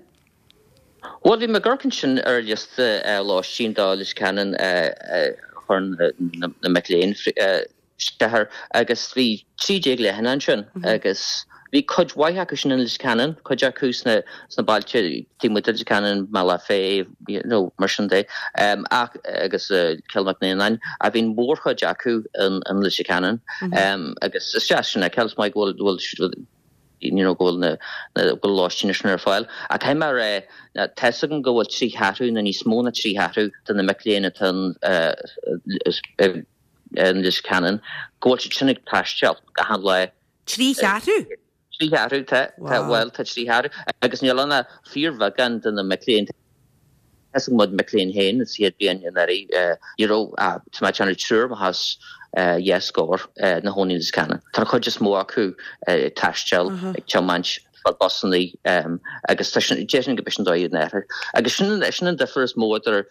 Bhuel, bhí mé ag amharc ansin ar liosta lóistín do Leitir Ceanainn a chuir na mic léinn isteach air agus bhí 13 leathanach ansin agus bhí cuid mhaith acu sin in Leitir Ceanainn, cuid acu sna bailte taobh amuigh de Leitir Ceanainn, Bealach Féich, you know, mar sin de, ach agus Cill Mhic Néanáin, ach bhí an mhórchuid acu in Leitir Ceanainn agus is deas sin a fheiceáil, is maith go bhfuil you know, go bhfuil na, go bhfuil lóistín sin ar fáil. Ach caithfidh mé a rá, tá fhios agam go bhfuil 3 cheathrú nó níos mó ná 3 cheathrú de na mic léinn atá in, in Leitir Ceanainn, go bhfuil siad sin ag taisteal achan lá. 3 cheathrú? 3 cheathrú, tá, tá, bhuel, tá 3 cheathrú. Agus níl ann ach fíorbheagán de na mic léinn. Tá fhios ag mo mhic léinn féin sa chéad bhliain anuraidh, ní raibh ach, tá mé ag déanamh triúr amach as dhá scór ina chónaí i Leitir Ceanainn. Tá an chuid is mó acu ag taisteal, ag tiomáint, ag fáil busannaí agus tá sin, déarfainn go b'shin an dóigh an athraithe. Agus sin, sin an difear is mó idir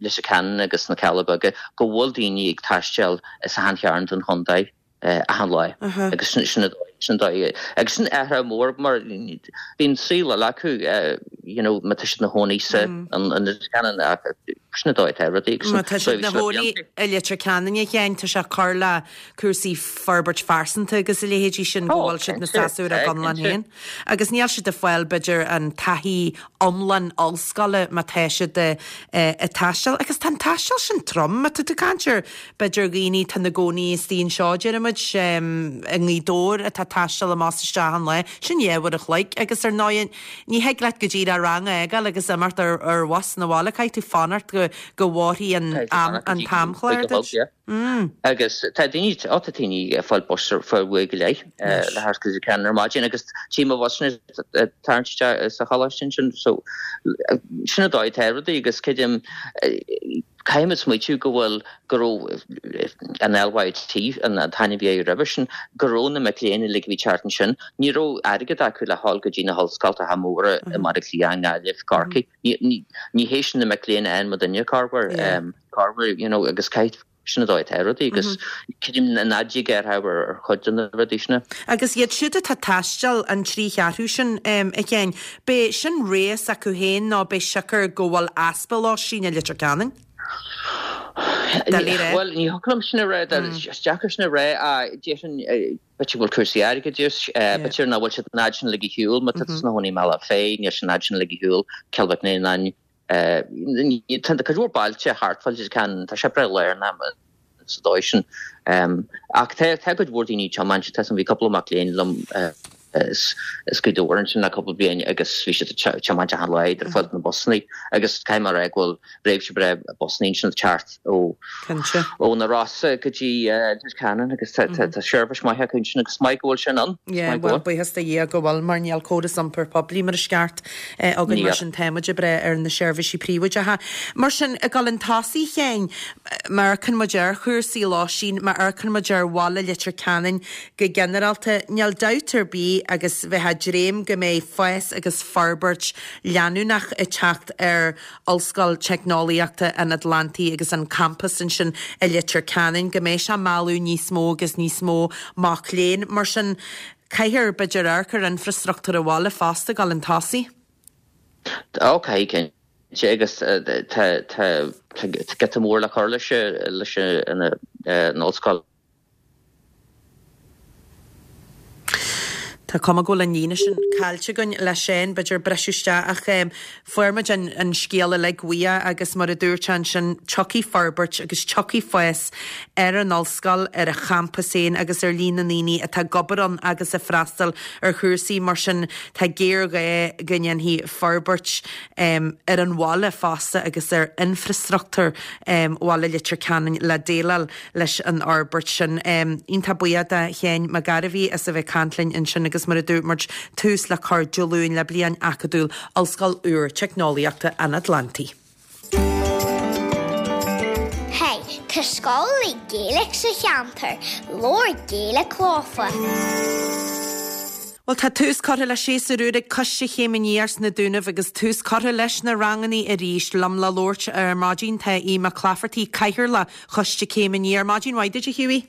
Leitir Ceanainn agus na Cealla Beaga, go bhfuil daoine ag taisteal as achan chearn den chontae. achan lá agus sin an dóigh agus sin athrú mór mar bíonn saol eile acu you know má tá siad ina chónaí sa an Leitir Ceanainn ach sin an dóigh atá rudaí agus Má tá siad ina chónaí i Leitir Ceanainn a Sheáin tá sé ag cur le cúrsaí forbairt phearsanta agus a leithéidí sin go bhfuil siad ina séasúr a gconlán féin. Agus níl siad ag fáil b'fhéidir an taithí iomlán ollscoile má tá siad ag taisteal. Agus tá an taisteal sin trom, má tá tú ag caint ar b'fhéidir dhaoine atá ina gcónaí istigh anseo, déarfaimid, i nGaoth Dobhair atá ag taisteal amach is isteach achan lá, sin dhá uair a chloig. Agus ar ndóigh ní thig leat go díreach rang a fhágáil agus imeacht ar ar bhus 'na bhaile, caithfidh tú fanacht go go bhfóirfidh an am an t-amchlár duit. Agus tá daoine, ó tá daoine ag fáil bus ar feadh uair go leith le theacht go Leitir Ceanainn ar maidin agus tchím na busanna ag tarraingt isteach sa choláiste ansin so sin an dóigh atá rudaí agus creidim caithfimid smaoitiú go bhfuil go raibh an LYIT an t-ainm a bhí air roimhe sin go raibh na mic léinn uilig a bhí thart ansin ní raibh airgead acu le dhul go dtí na hollscoltacha móra i mBaile Átha Cliath, i nGaillimh, Corcaigh. Ní hé sin na mic léinn a fhaigheann muidinne corruair. Corruair, you know, agus caithfidh sin an dóigh atá rudaí agus creidim ná dtig ar ar chuid de na rudaí sin. Agus iad siúd atá ag taisteal an trí cheathrú sin, a Sheáin, b'é sin rogha s'acu féin nó b'é siocair go bhfuil easpa lóistín i Leitir Ceanainn? Doiligh a rá. Bhuel, ní thiocfadh liom sin a rá, is deacair sin a rá, déarfainn, b'fhéidir go bhfuil cúrsaí airgeadais, b'fhéidir nach bhfuil siad an fhad sin uilig ar shiúl, má tá tú ina chónaí i mBealach Féich, níl sé an fhad sin uilig ar shiúl, Cill Mhic Néanáin, Tá cuid mhór bailte thart fá Leitir Ceanainn, tá sé breá lárnach sa dóigh sin. Ach tá cuid mhór daoine ag tiomáint, tá bhí cúpla mac léinn liom. As Gaoth Dobhair ansin le cúpla bliain agus bhí siad ag tiomáint achan lá idir fud na busanna agus caithfidh mé a rá go bhfuil réimse breá busanna ansin ag teacht ó ó na Rosa go dtí Leitir Ceanainn agus tá tá seirbhís maith acu ansin agus maith go bhfuil sin ann. Yeah, bhuel buíochas do Dhia go bhfuil mar níl córas iompair poiblí mar is ceart againn mar sin tá muid ag brath ar na seirbhísí príobháideacha. Mar sin ag dul chun tosaigh a Sheáin, má amharcann muid ar chúrsaí lóistín, má amharcann muid ar bhaile Leitir Ceanainn, Go ginearálta, níl dabht ar bith agus bheifeá ag dréim go mbeidh fás agus forbairt leanúnach ag teacht ar Ollscoil Teicneolaíochta an Atlantaigh agus an campas ansin i Leitir Ceanainn, go mbeidh sé ag mealladh níos mó agus níos mó mac léinn. Mar sin, caithfear, b'fhéidir, amharc ar infreastruchtúr an bhaile fosta ag dul chun tosaigh. Ó, caithfidh, cinnte, agus tá giota mór le cur leis an ollscoil. Tá cuma go bhfuil an líne sin caillte againn le Seán, b'fhéidir briseadh isteach ach fuair muid an scéal uilig uaidh agus mar a dúirt sé ansin tiocfaidh forbairt agus tiocfaidh fás ar an ollscoil, ar a champas féin agus ar líon na ndaoine atá ag obair ann agus ag freastal ar chúrsaí mar sin tá géarghá go ndéanfaí forbairt ar an bhaile fosta agus ar infreastruchtúr bhaile Leitir Ceanainn le déileáil leis an fhorbairt sin. Iontach buíoch de Sheán Mac Gairbhí as a bheith ag caint linn ansin agus mar a dúirt muid, tús le cur Dé Luain le bliain acadúil Ollscoil úr Teicneolaíochta an Atlantaigh. Hey, tá scoil le Gaeilge sa cheantar, labhair Gaeilge leofa. Bhuel, tá tús curtha le séasúr úr ag Coiste Chéim Aniar sna Dúnaibh agus tús curtha leis na rangannaí arís. Liom le labhairt ar maidin tá Aodh Mac Laifeartaigh, Cathaoirleach Choiste Céim Aniar. Maidin mhaith duit, a Hughie.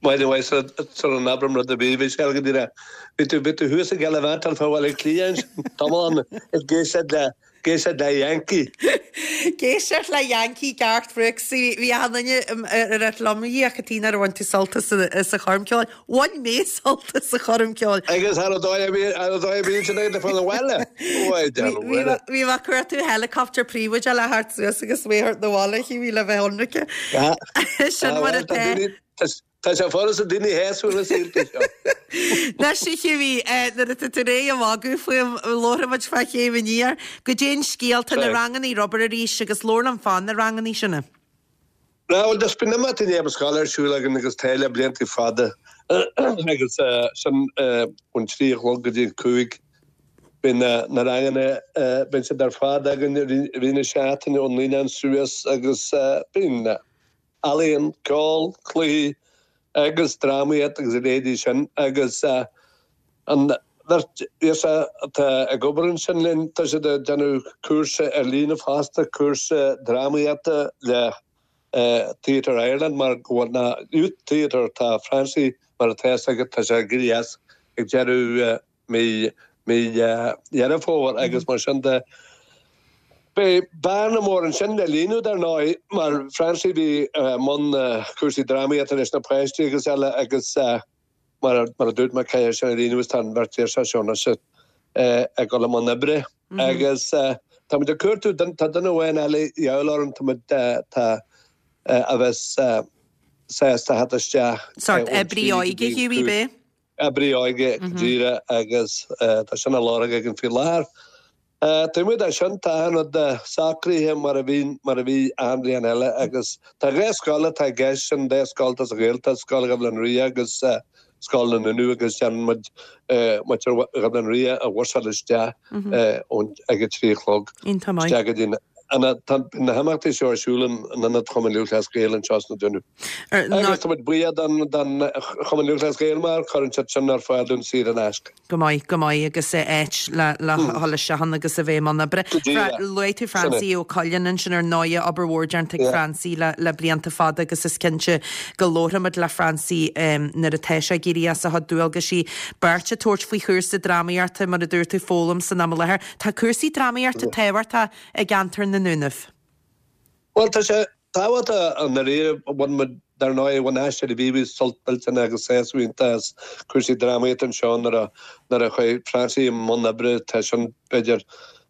Maidin mhaith sula n-abraim rud ar bith, bhí sé go díreach. Bhí tú, bhí tú thuas ag gallivantáil fá Bhaile Átha Cliath ansin, tamall ag éisteacht le, ag éisteacht le Yankee. Ag éisteacht le Yankee Garth Brooks. Bhí achan duine ag rá liom, a Dhia, cad chuige nár bhain tú sult as an choirm ceoil. Bhain mé sult as an choirm ceoil. Agus ar an dóigh a bhí, ar an dóigh a bhí sin ag fáil abhaile. Bhí mé ag cuartú helicopter príobháideach le theacht suas agus mé a thabhairt 'na bhaile, Hughie, le bheith ionraice. Sin mar atá. Tá sé furasta daoine a shásamh na saolta seo. Anois a Hughie, nuair atá tú réidh a mhagadh fúm, labharfaidh muid fá Chéim Aniar. Goidé an scéal, tá na rangannaí ar obair arís agus labhair liom fá na rangannaí sin. Bhuel, just bíonn imeachtaí i ndiaidh na scoile ar siúl againn agus tá le blianta fada agus sin ón 3 a chlog go dtí an 5. Bíonn na ranganna, bíonn siad ar fad againn i rith na seachtaine ó naíonáin suas agus bíonn ealaíon, ceol, cluichí agus drámaíocht agus a leithéidí sin agus an bheirt ghirseach atá ag obair ansin linn, tá siad ag déanamh cúrsa ar líne fosta, cúrsa drámaíochta le Theatre Ireland mar go bhfuil na Youth Theatre, tá Francie mar atá fhios agat, tá sé ag éirí as ag deireadh mí mí Dheireadh Fómhair agus mar sin de. Beidh bearna mór ansin le líonadh dar ndóigh mar Francie bhí i mbun cúrsaí drámaíochta leis na páistí agus eile agus mar a dúirt mé caithfidh sin a líonadh agus tá an bheirt ghirseach seo anois ag dul i mbun oibre agus tá muid ag cuartú, tá duine amháin eile de dhíobháil orainn, tá muid tá a bheas sásta theacht isteach. Sórt oibrí óige Hughie, b'é? Oibrí óige go díreach agus tá sin á lorg againn faoi láthair. Taobh amuigh de sin, tá achan rud socraithe mar a bhí mar a bhí achan bhliain eile agus tá 2 scoil atá i gceist, sin 2 scoil atá sa Ghaeltacht, Scoil Dhuibhleann Ria agus Scoil na nDúnaibh agus déanann muid muintir Dhuibhleann Ria a bhusáil isteach ón ag a 3 a chlog isteach go dtí an Tá na himeachtaí seo ar siúl in Ionad Chumann Lúthchleas Gael anseo sna Dúnaibh. Agus tá muid buíoch don Chumann Lúthchleas Gael mar cuireann siad sin ar fáil dúinn saor in aisce. Go maith, go maith agus áit le le dhul isteach ann agus a bheith i mbun oibre. Luaigh tú Francie Ó Coileáin ansin ar ndóigh, obair mhór déanta ag Francie le le blianta fada agus is cinnte go labharfaimid le Francie nuair atá sé ag éirí as a chuid dualgaisí. Beirt ag tabhairt faoi chúrsa drámaíochta mar a dúirt tú, foghlaim san am i láthair. Tá cúrsaí drámaíochta tábhachtach i gceantar na nDúnaibh. Bhuel, tá sé tábhachtach i ndáiríre. Bhain muid, dar ndóigh, bhain Aisteoirí Mhíobhaigh sult millteanach agus sásamh iontach as cúrsaí drámaíochta anseo nuair a, nuair a chuaigh Francie i mbun oibre, tá sin, b'fhéidir,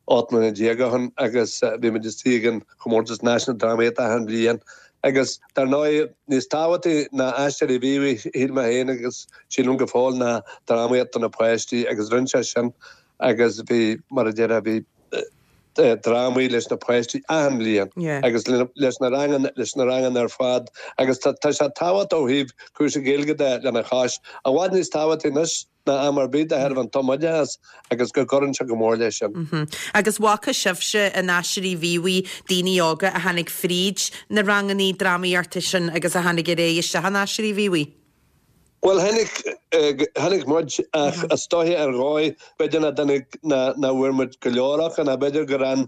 18 mbliana ó shin agus bhí muid istigh ag an chomórtas náisiúnta drámaíochta achan bhliain. Agus dar ndóigh, níos tábhachtaí ná Aisteoirí Mhíobhaigh, shíl mé féin agus sílim go fóill, ná drámaíocht do na páistí agus rinne sé sin agus bhí, mar a déarfá, bhí drámaí leis na páistí achan bhliain agus leis na ranganna, leis na ranganna ar fad agus tá sé tábhachtach ó thaobh cúrsaí Gaeilge de lena chois. I bhfad níos tábhachtaí anois ná am ar bith de thairbhe an tumoideachas agus go gcuireann sé go mór leis sin. Agus bhfaca sibhse in Aisteoirí Mhíobhaigh daoine óga a tháinig fríd na rangannaí drámaíochta sin agus a tháinig ar aghaidh isteach in Aisteoirí Mhíobhaigh? Bhuel, tháinig, tháinig muid ach is dóiche ar dhóigh, b'fhéidir nach dtáinig, nach bhfuair muid go leor acu nó b'fhéidir gur fhan,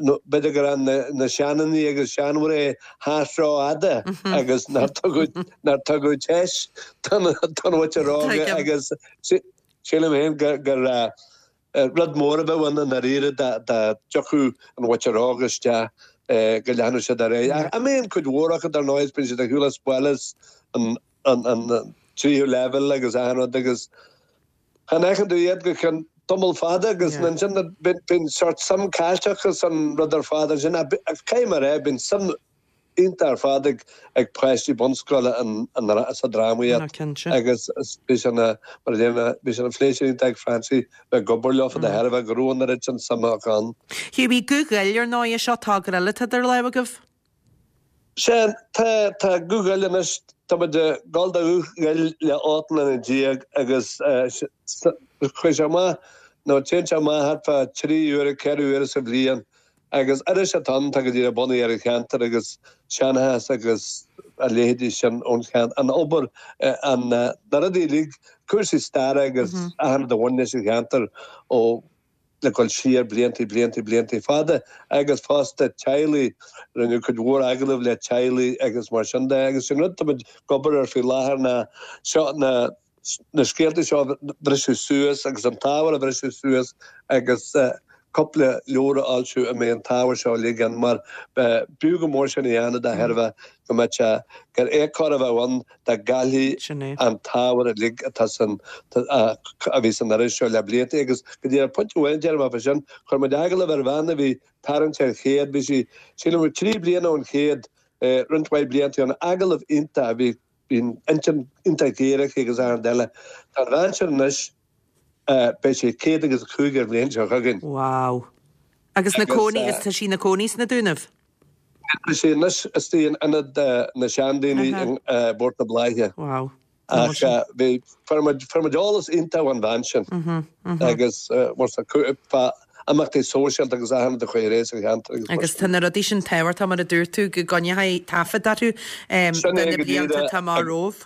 b'fhéidir gur fhan na seandaoine agus seanmhná thart rófhada agus nár tugadh, nár tugadh deis don mhuintir óga agus sílim féin gur rud mór a bheadh ann i ndáiríre dá dtiocfadh an mhuintir óg isteach go leanfadh siad ar aghaidh. Ach imíonn cuid mhór acu dar ndóigh is bíonn siad ar shiúl as baile is an tríú leibhéal agus achan rud agus chan fheiceann tú iad go ceann tamall fada agus ansin bíonn sórt suim caillte acu san rud ar fad ansin. Ach caithfidh mé a rá bíonn suim iontach ar fad ag páistí bunscoile sa drámaíocht agus bhí sé ina, mar a deir mé, bhí sé ina phléisiúr iontach ag Francie bheith ag obair leofa de thairbhe go raibh an oiread sin suime acu ann. Hughie, Guth Ghoill, ar ndóigh, seo togra eile atá idir lámha agaibh. Sea, tá, tá Guth Ghoill anois, tá muid ag dul do Ghuth Ghoill le 18 mbliana agus chuaigh sé amach, nó téann sé amach thart fá 3 uaire, 4 uaire sa bhliain Agus iris atá ann, tá go díreach bunaithe ar an cheantar agus seanchas agus a leithéidí sin ón cheantar, an obair, an, na rudaí uilig, cúrsaí staire agus achan rud a bhain leis an cheantar ó le dul siar blianta, blianta, blianta fada agus fosta teaghlaigh, rinneadh cuid mhór agallamh le teaghlaigh agus mar sin de agus sin rud táimid ag obair air faoi láthair ná seo na na scéalta seo a bhriseadh suas agus an t-ábhar a bhriseadh suas agus cúpla leabhar a fhoilsiú a mbeidh an t-ábhar seo uilig ann mar b'fhiú go mór sin a dhéanamh de thairbhe go mbeadh sé gur éagcóir a bheadh ann dá gcaillfí an t-ábhar uilig atá san a bhí san iris seo le blianta agus go dtí ar pointe amháin déarfaidh mé fá sin chuir muid agallamh ar bhean a bhí tarraingt ar chéad bhí sí sílim 3 bliana ón chéad roinnt mhaith blianta ann agallamh iontach a bhí Bhí an intinn iontach géar aici agus achan rud eile. Tá an bhean sin anois, beidh sí 105 ar an bhliain seo chugainn. Wow. Agus na cónaí, is tá sí ina cónaí sna Dúnaibh? Tá sí anois istigh in ionad na seandaoine i bPort na Bláiche. Wow. Ach bhí, fuair muid, fuair muid eolas iontach ón bhean sin. Agus fá imeachtaí sóisialta agus achan rud a chuaigh ar aghaidh sa cheantar agus mar Agus tá na rudaí sin tábhachtach mar a dúirt tú go gcoinneofaí taifead orthu Sin do é na go blianta díreach atá amach romhaibh.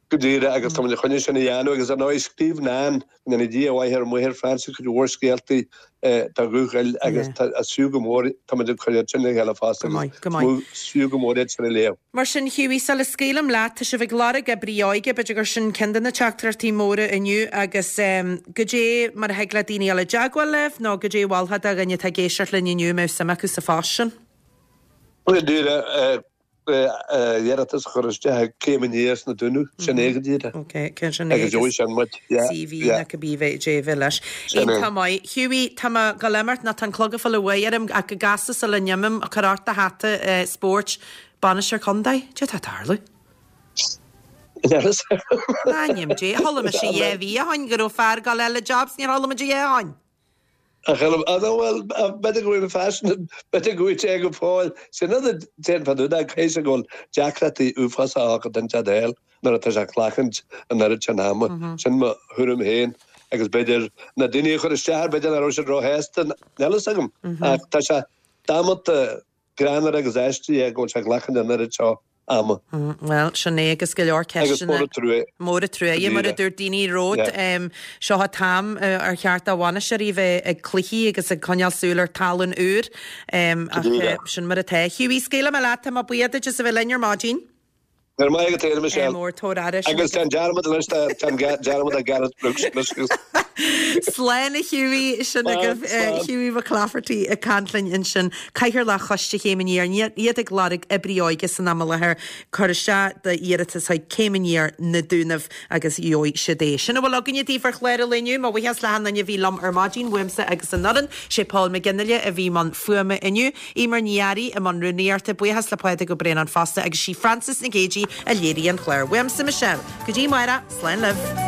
Go díreach agus tá muid chun é sin a dhéanamh agus ar ndóigh scríobh Nan, go ndéana Dia a mhaith ar mhuintir Francie cuid mhór scéaltaí do Ghuth Ghoill agus tá is fiú go mór, tá muid ag cur iad sin le chéile fosta Go agus maith, go maith. is fiú go mór iad sin a léamh. Mar sin, Hughie, sula scaoilim leat, tá sibh ag lorg oibrí óige, b'fhéidir gur sin ceann de na teachtaireachtaí móra inniu agus goidé mar a thig le daoine dul i dteagmháil libh nó goidé a mholfá do dhuine atá ag éisteacht linn inniu a mbeadh suim acu sa phost sin? Go díreach, iarratas a chur isteach ag Céim Aniar sna Dúnaibh, sin é go díreach. Ok, cén sin é Agus gheobhaidh sin muid, yeah, CV yeah. nó cibé goidé a bheidh leis. Sin é. Iontach maith. Hughie, tá mé ag dul imeacht nó tá an clog ag fáil uaidh orm ach go gasta sula n-imím, cuir ort do hata spóirt, bainisteoir contae, cad é atá ag tarlú? In ainm Dé, chuala mise dhá mhí ó shoin go raibh fear ag dul a fháil an job 's níor chuala muid a dhath ó shoin. Ach ar an bhuel, b'fhéidir go bhfuil an faisean, b'fhéidir go bhfuil sé go fóill. Sin rud a déanfá nó caithfidh sé go bhfuil deacrachtaí uafásacha acu don tead eile nuair atá sé ag glacaint an oiread sin ama. Sin mo thuairim féin agus b'fhéidir na daoine a chuir isteach air, b'fhéidir nach raibh siad róshásta, níl fhios agam. Ach tá sé damanta greannmhar agus aisteach é go bhfuil sé ag glacaint an oiread seo ama. Bhuel, sin é agus go leor Agus ceisteanna. mór an trua. Mór an trua, mar a dúirt daoine romhat. Seo an t-am ar cheart do bhainisteoirí bheith ag cluichí agus ag coinneáil súil ar tallann úr. Ach sin mar atá. Hughie, scaoilfidh mé leat, tá mé buíoch duit as a bheith linn ar maidin. Go raibh maith agat féin, a Michelle. Mór, tabhair aire. Agus déan dearmad anois, tá dearmad ar Gareth Brooks anois. Slán a Hughie, sin agaibh Hughie McClafferty ag caint linn ansin, Cathaoirleach Choiste Chéim Aniar, iad ag lorg oibrí óige san am i láthair, cuir isteach d'iarratas chuig Céim Aniar, Na Dúnaibh agus gheobhaidh siad é. Sin a bhfuil againne daoibh ar chlár an lae inniu. Mo bhuíochas le hachan duine a bhí liom ar maidin, uaimse agus an fhoireann. Sé Paul McGinley a bhí i mbun fuaime inniu, Eimear Ní Fhearraigh i mbun rúnaíochta, buíochas le Pádraig Ó Braonáin fosta agus sí Frances Nic Géidigh a léirigh an clár. Uaimse Michelle. Go dtí amárach, slán libh.